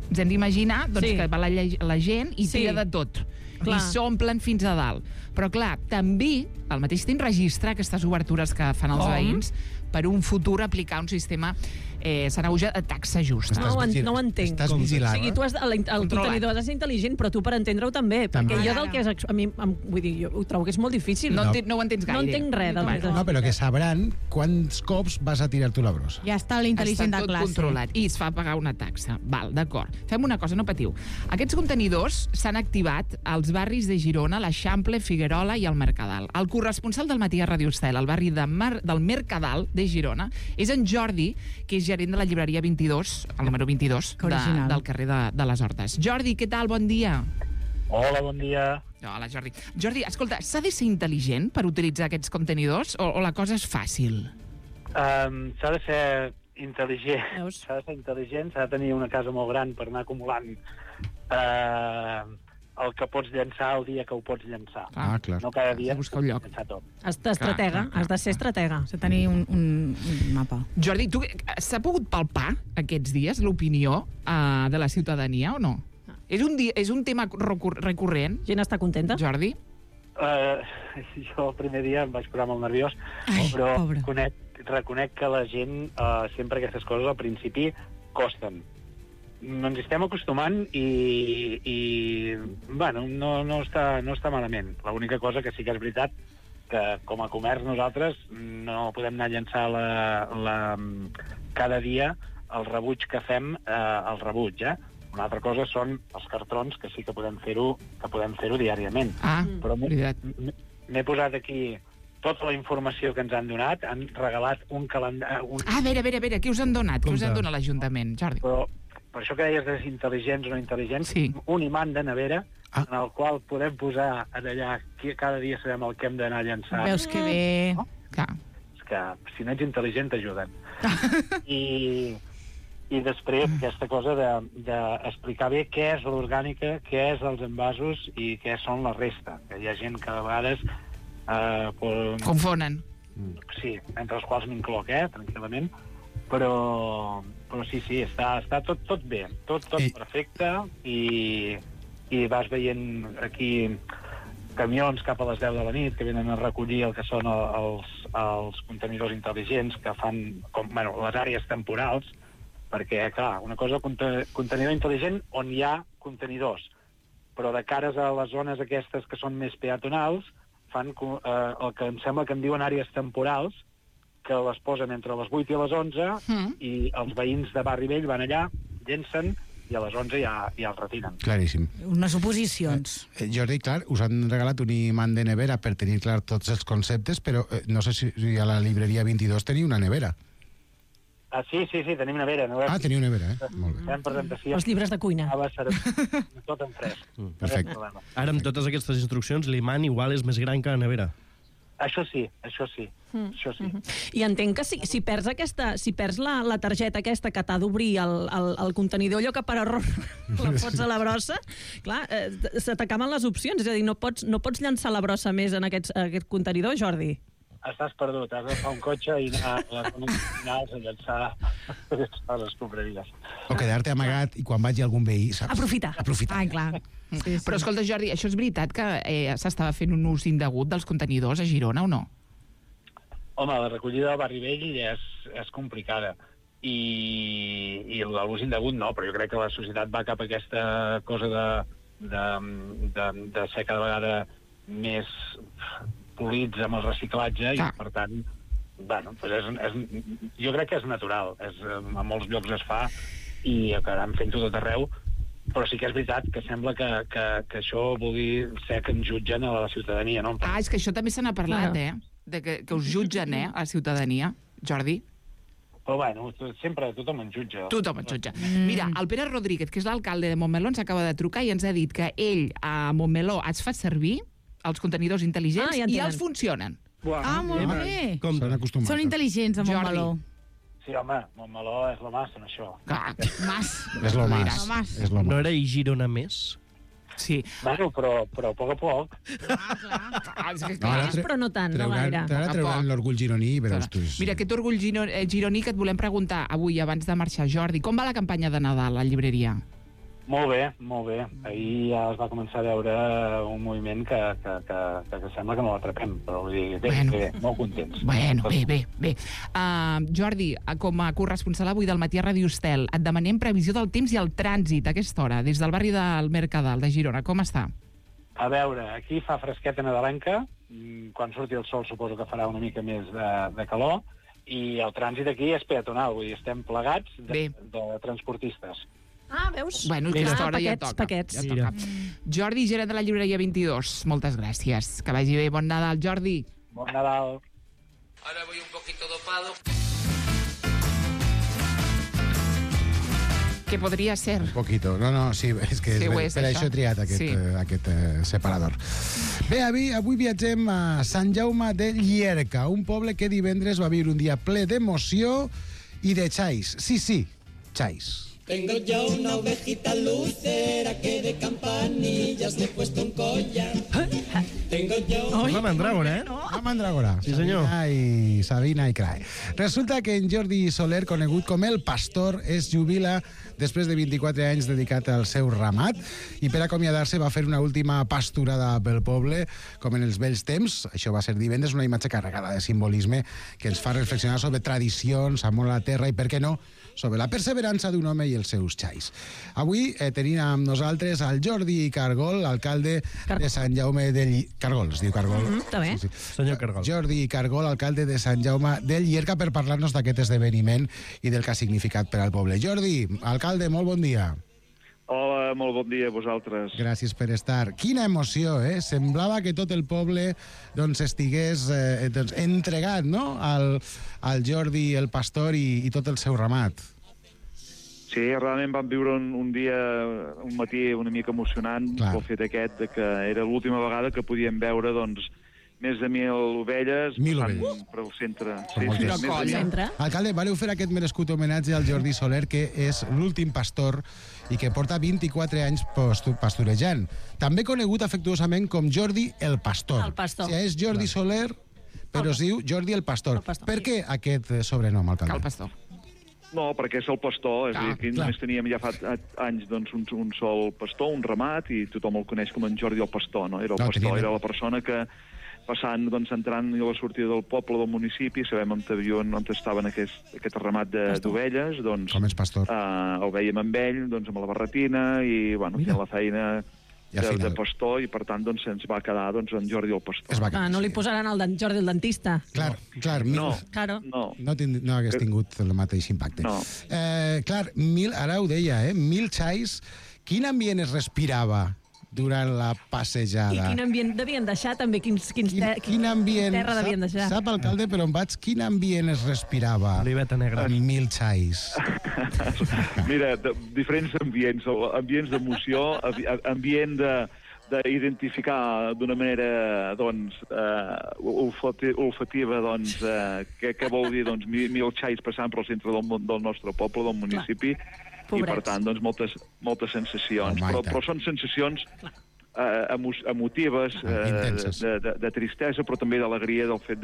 ens hem d'imaginar que va la gent i tira de tot. I s'omplen fins a dalt. Però, clar, també, al mateix temps, registrar aquestes obertures que fan els veïns per un futur aplicar un sistema Sanahuja de taxa justa. No ho entenc. Estàs vigilant. O sigui, tu el contenidor ha de ser intel·ligent, però tu per entendre-ho també. Perquè jo del que és... A mi, vull dir, jo ho trobo que és molt difícil. No ho entens gaire. No entenc res del que... No, però que sabran quants cops vas a tirar tu la brossa. Ja està l'intel·ligent de classe. Està tot controlat i es fa pagar una taxa. Val, d'acord. Fem una cosa, no patiu. Aquests contenidors s'han activat als barris de Girona, l'Eixample, Figuerola i el Mercadal. El corresponsal del Matí a Radio Estel, al barri del Mercadal de Girona, és en Jordi, que és gerent de la llibreria 22, el número 22, del carrer de les Hortes. Jordi, què tal? Bon dia. Hola, bon dia. Hola, Jordi. Jordi, escolta, s'ha de ser intel·ligent per utilitzar aquests contenidors o la cosa és fàcil? S'ha de ser intel·ligent. S'ha de ser intel·ligent, s'ha de tenir una casa molt gran per anar acumulant el que pots llançar el dia que ho pots llançar. Ah, clar. No cada dia buscar un lloc. llançar tot. Has de ser estratega. Has de tenir un mapa. Jordi, s'ha pogut palpar aquests dies l'opinió de la ciutadania o no? És un tema recurrent? Gent està contenta? Jordi? Jo el primer dia em vaig posar molt nerviós, però reconec que la gent, sempre aquestes coses al principi costen. Ens estem acostumant i bueno, no està malament. L'única cosa que sí que és veritat que com a comerç nosaltres no podem anar a llançar cada dia el rebuig que fem, el rebuig, Una altra cosa són els cartrons, que sí que podem fer-ho diàriament. Però m'he posat aquí tota la informació que ens han donat, han regalat un calendari... A veure, què us han donat? Què us han donat l'Ajuntament, Jordi? Però per això que deies de intel·ligents o no intel·ligents, un imant de nevera en el qual podem posar allà, cada dia sabem el que hem d'anar a llançar. Veus que bé... No? És que si no ets intel·ligent t'ajuden. I després aquesta cosa d'explicar bé què és l'orgànica, què és els envasos i què són la resta. Que hi ha gent que a vegades... confonen. Sí, entre els quals m'incloc, tranquil·lament. Però sí, està tot bé, tot perfecte i vas veient aquí camions cap a les 10 de la nit que venen a recollir el que són els contenidors intel·ligents que fan les àrees temporals, perquè, clar, una cosa contenidor intel·ligent on hi ha contenidors, però de cares a les zones aquestes que són més peatonals fan el que em sembla que en diuen àrees temporals, que les posen entre les 8 i les 11 i els veïns de Barri Vell van allà, llencen i a les 11 ja els retiren. Claríssim. Unes oposicions. Jordi, clar, us han regalat un imant de nevera per tenir clar tots els conceptes, però no sé si a la llibreria 22 teniu una nevera. Sí, tenim nevera. Teniu nevera, Molt bé. Fem presentació. Els llibres de cuina. Tot en fresc. Perfecte. Ara, amb totes aquestes instruccions, l'imant igual és més gran que la nevera. Això sí. I entenc que si perds la targeta aquesta que t'ha d'obrir el contenidor, allò que per error la fots a la brossa, clar, se t'acaben les opcions. És a dir, no pots llançar la brossa més en aquest contenidor, Jordi? Estàs perdut, has d'agafar un cotxe i anar a les zones finals a llançar les escombraries. O quedar-te amagat i quan vagi algun veí, saps? Aprofitar. Ah, clar. Sí. Però escolta, Jordi, això és veritat que s'estava fent un ús indegut dels contenidors a Girona o no? Home, la recollida del Barri Vell és complicada i l'ús indegut no, però jo crec que la societat va cap a aquesta cosa de ser cada vegada més polits amb el reciclatge i per tant jo crec que és natural, a molts llocs es fa i acabaran fent-ho tot arreu, però sí que és veritat que sembla que això vulgui ser que ens jutgen a la ciutadania, no? És que això també se n'ha parlat, de que us jutgen, a la ciutadania, Jordi. Però bueno, sempre tothom ens jutja. Tothom ens jutja. Mira, el Pere Rodríguez, que és l'alcalde de Montmeló, ens acaba de trucar i ens ha dit que ell a Montmeló es fa servir els contenidors intel·ligents i els funcionen. Molt bé. S'han acostumat. Són intel·ligents a Montmeló. Sí, home, Montmeló és lo más en això. És lo más. No era i Girona més? Sí. Bueno, però a poc a poc. Però no tant, no gaire. Ara trauran l'orgull gironí i veuràs tu. Mira, aquest orgull gironí que et volem preguntar avui, abans de marxar, Jordi, com va la campanya de Nadal a la llibreria? Molt bé, molt bé. Ahir ja es va començar a veure un moviment que sembla que no l'atrapem, però vull dir, bé, molt contents. Bueno, bé. Jordi, com a corresponsal avui del Matí a Ràdio Estel, et demanem previsió del temps i el trànsit a aquesta hora, des del barri del Mercadal de Girona. Com està? A veure, aquí fa fresqueta nadalenca, quan surti el sol suposo que farà una mica més de calor, i el trànsit aquí és peatonal, vull dir, estem plegats de transportistes. Ah, veus? Bueno, aquesta hora ja toca. Paquets. Ja toca. Jordi, gerent de la llibreria 22, moltes gràcies. Que vagi bé. Bon Nadal, Jordi. Bon Nadal. Ahora voy un poquito dopado. Que podria ser. Un poquito. No, sí, és que Sí, per això he triat aquest separador. Bé, avui viatgem a Sant Jaume de Llierca, un poble que divendres va viure un dia ple d'emoció i de xais. Sí, xais. Tengo ya una ovejita lucera que de campanillas le he puesto un collar. Tengo yo... La mandràgora, eh? La mandràgora. Sí, senyor. Sabina i Crae. Resulta que en Jordi Soler, conegut com el Pastor, es jubila després de 24 anys dedicat al seu ramat i per acomiadar-se va fer una última pasturada pel poble, com en els vells temps. Això va ser divendres, una imatge carregada de simbolisme que ens fa reflexionar sobre tradicions, amor a la terra i, per què no, sobre la perseverança d'un home i els seus xais. Avui tenim amb nosaltres el Jordi Cargol, alcalde de Sant Jaume de Llierca. Cargol, es diu Cargol. Està bé. Sí. Senyor Cargol. Jordi Cargol, alcalde de Sant Jaume de Llierca, per parlar-nos d'aquest esdeveniment i del que ha significat per al poble. Jordi, alcalde, molt bon dia. Hola, molt bon dia a vosaltres. Gràcies per estar. Quina emoció, eh? Semblava que tot el poble estigués entregat, no?, al Jordi, el pastor i tot el seu ramat. Sí, realment vam viure un dia, un matí una mica emocionant pel fet aquest de que era l'última vegada que podíem veure, més de 1.000 ovelles passant per al centre. Alcalde, valeu fer aquest merescut homenatge al Jordi Soler, que és l'últim pastor i que porta 24 anys pastorejant. També conegut afectuosament com Jordi el Pastor. El Pastor. O sigui, és Jordi Soler, però es diu Jordi el Pastor. Per què aquest sobrenom, alcalde? El Pastor. No, perquè és el pastor, és a dir, que només teníem ja fa anys un sol pastor, un ramat, i tothom el coneix com en Jordi el Pastor, no? Era el pastor, era la persona que passant, entrant a la sortida del poble, del municipi, sabem on estaven aquest ramat d'ovelles, com és pastor? El veiem amb ell, amb la barretina, i, fent la feina de pastor, i per tant se'ns va quedar en Jordi el Pastor. No li posaran el Jordi el dentista. Clar, no hagués tingut el mateix impacte. Clar, ara ho deia, 1.000 xais, quin ambient es respirava durant la passejada? I quin ambient devien deixar, també? Quin terra devien deixar? Sap, alcalde, per on vaig, quin ambient es respirava Oliveta negra. En 1.000 xais? Mira, diferents ambients, ambients d'emoció, ambient d'identificar d'una manera olfativa què vol dir 1.000 xais passant pel centre del nostre poble, del municipi. I, per tant, moltes sensacions. Però són sensacions emotives, de tristesa, però també d'alegria del fet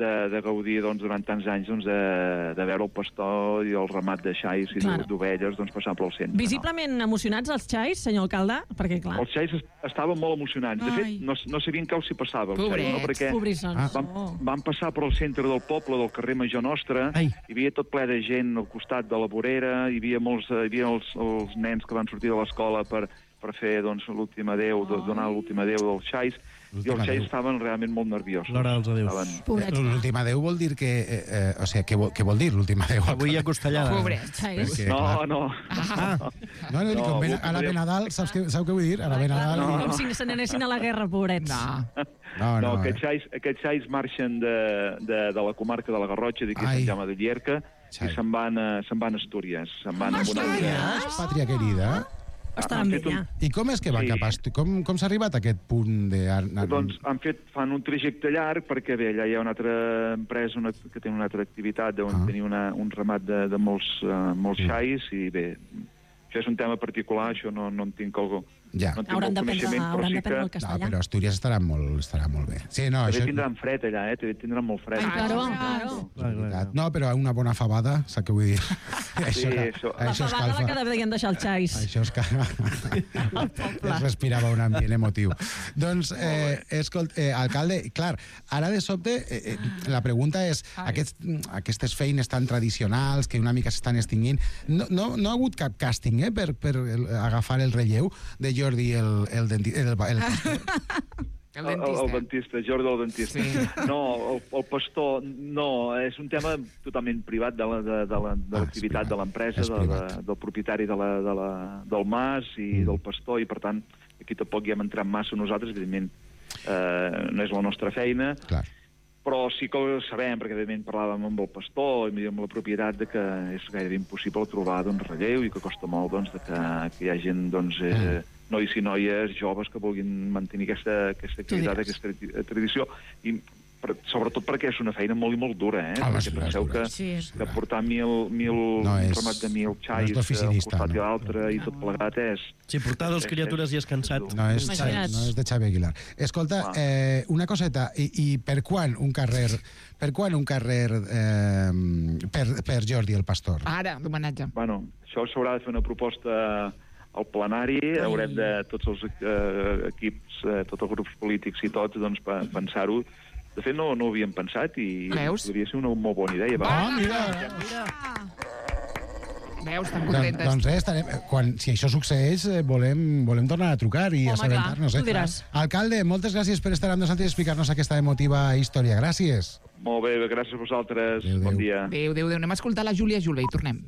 de gaudir durant tants anys de veure el pastor i el ramat de xais i d'ovelles passant pel centre. Visiblement emocionats els xais, senyor alcalde? Perquè, clar... Els xais estaven molt emocionants. De fet, no sabien què els hi passava. Pobrets, pobrissons. Van passar per al centre del poble, del carrer Major Nostre, hi havia tot ple de gent al costat de la vorera, hi havia els nens que van sortir de l'escola per fer l'últim adéu, donar l'últim adéu dels xais, i els xais estaven realment molt nerviosos. L'hora dels adeus. L'últim adéu vol dir que... O sigui, què vol dir l'últim adéu? Avui hi ha costellada. Pobrets, xais. No. No, a la Benadal, sabeu què vull dir? A la Benadal... Com si se n'anessin a la guerra, pobrets. No, aquests xais marxen de la comarca de la Garrotxa, d'aquí Sant Jaume de Llierca, i se'n van a Astúries. Se'n van a Astúries, pàtria querida. Estaran bé, ja. I com és que va cap a Astúries? Com s'ha arribat a aquest punt de... Fan un trajecte llarg, perquè bé, allà hi ha una altra empresa que té una altra activitat, on tenir un ramat de molts xais, i bé, això és un tema particular, això no en tinc Ja. No hauran d'aprendre el castellà. No, però Astúries estarà molt bé. Sí, no, també tindran fred allà, també tindran molt fred. Claro. No, però una bona fabada, saps què vull dir? La fabada la que devien deixar els xais. Això es respirava un ambient emotiu. Doncs, alcalde, clar, ara de sobte la pregunta és, aquestes feines tan tradicionals que una mica s'estan extingint, no ha hagut cap càsting per agafar el relleu de Jordi el pastor? El dentista, Jordi el dentista. Sí. No, el pastor, no, és un tema totalment privat de l'activitat de l'empresa, del propietari del mas i del pastor, i per tant, aquí tampoc hi hem entrat massa nosaltres, evidentment, no és la nostra feina, però sí que ho sabem, perquè evidentment parlàvem amb el pastor i amb la propietat de que és gairebé impossible trobar relleu i que costa molt que hi ha gent, nois i noies joves que vulguin mantenir aquesta activitat, aquesta tradició, i sobretot perquè és una feina molt i molt dura, perquè penseu que portar 1.000 ramat de 1.000 xais un costat i l'altre i tot plegat és... Sí, portar dos criatures i és cansat. No és de Xavi Aguilar. Escolta, una coseta, i per quan un carrer per Jordi el pastor? Ara, d'homenatge. Bueno, això s'haurà de fer una proposta al plenari, haurem de tots els equips, tots els grups polítics i tots, pensar-ho. De fet, no ho havíem pensat i podria ser una molt bona idea. Mira! Veus, estan contentes. Doncs res, si això succeeix, volem tornar a trucar i assabentar-nos. Alcalde, moltes gràcies per estar amb nosaltres i explicar-nos aquesta emotiva història. Gràcies. Molt bé, gràcies a vosaltres. Bon dia. Adéu. Anem a escoltar la Júlia Julve i tornem.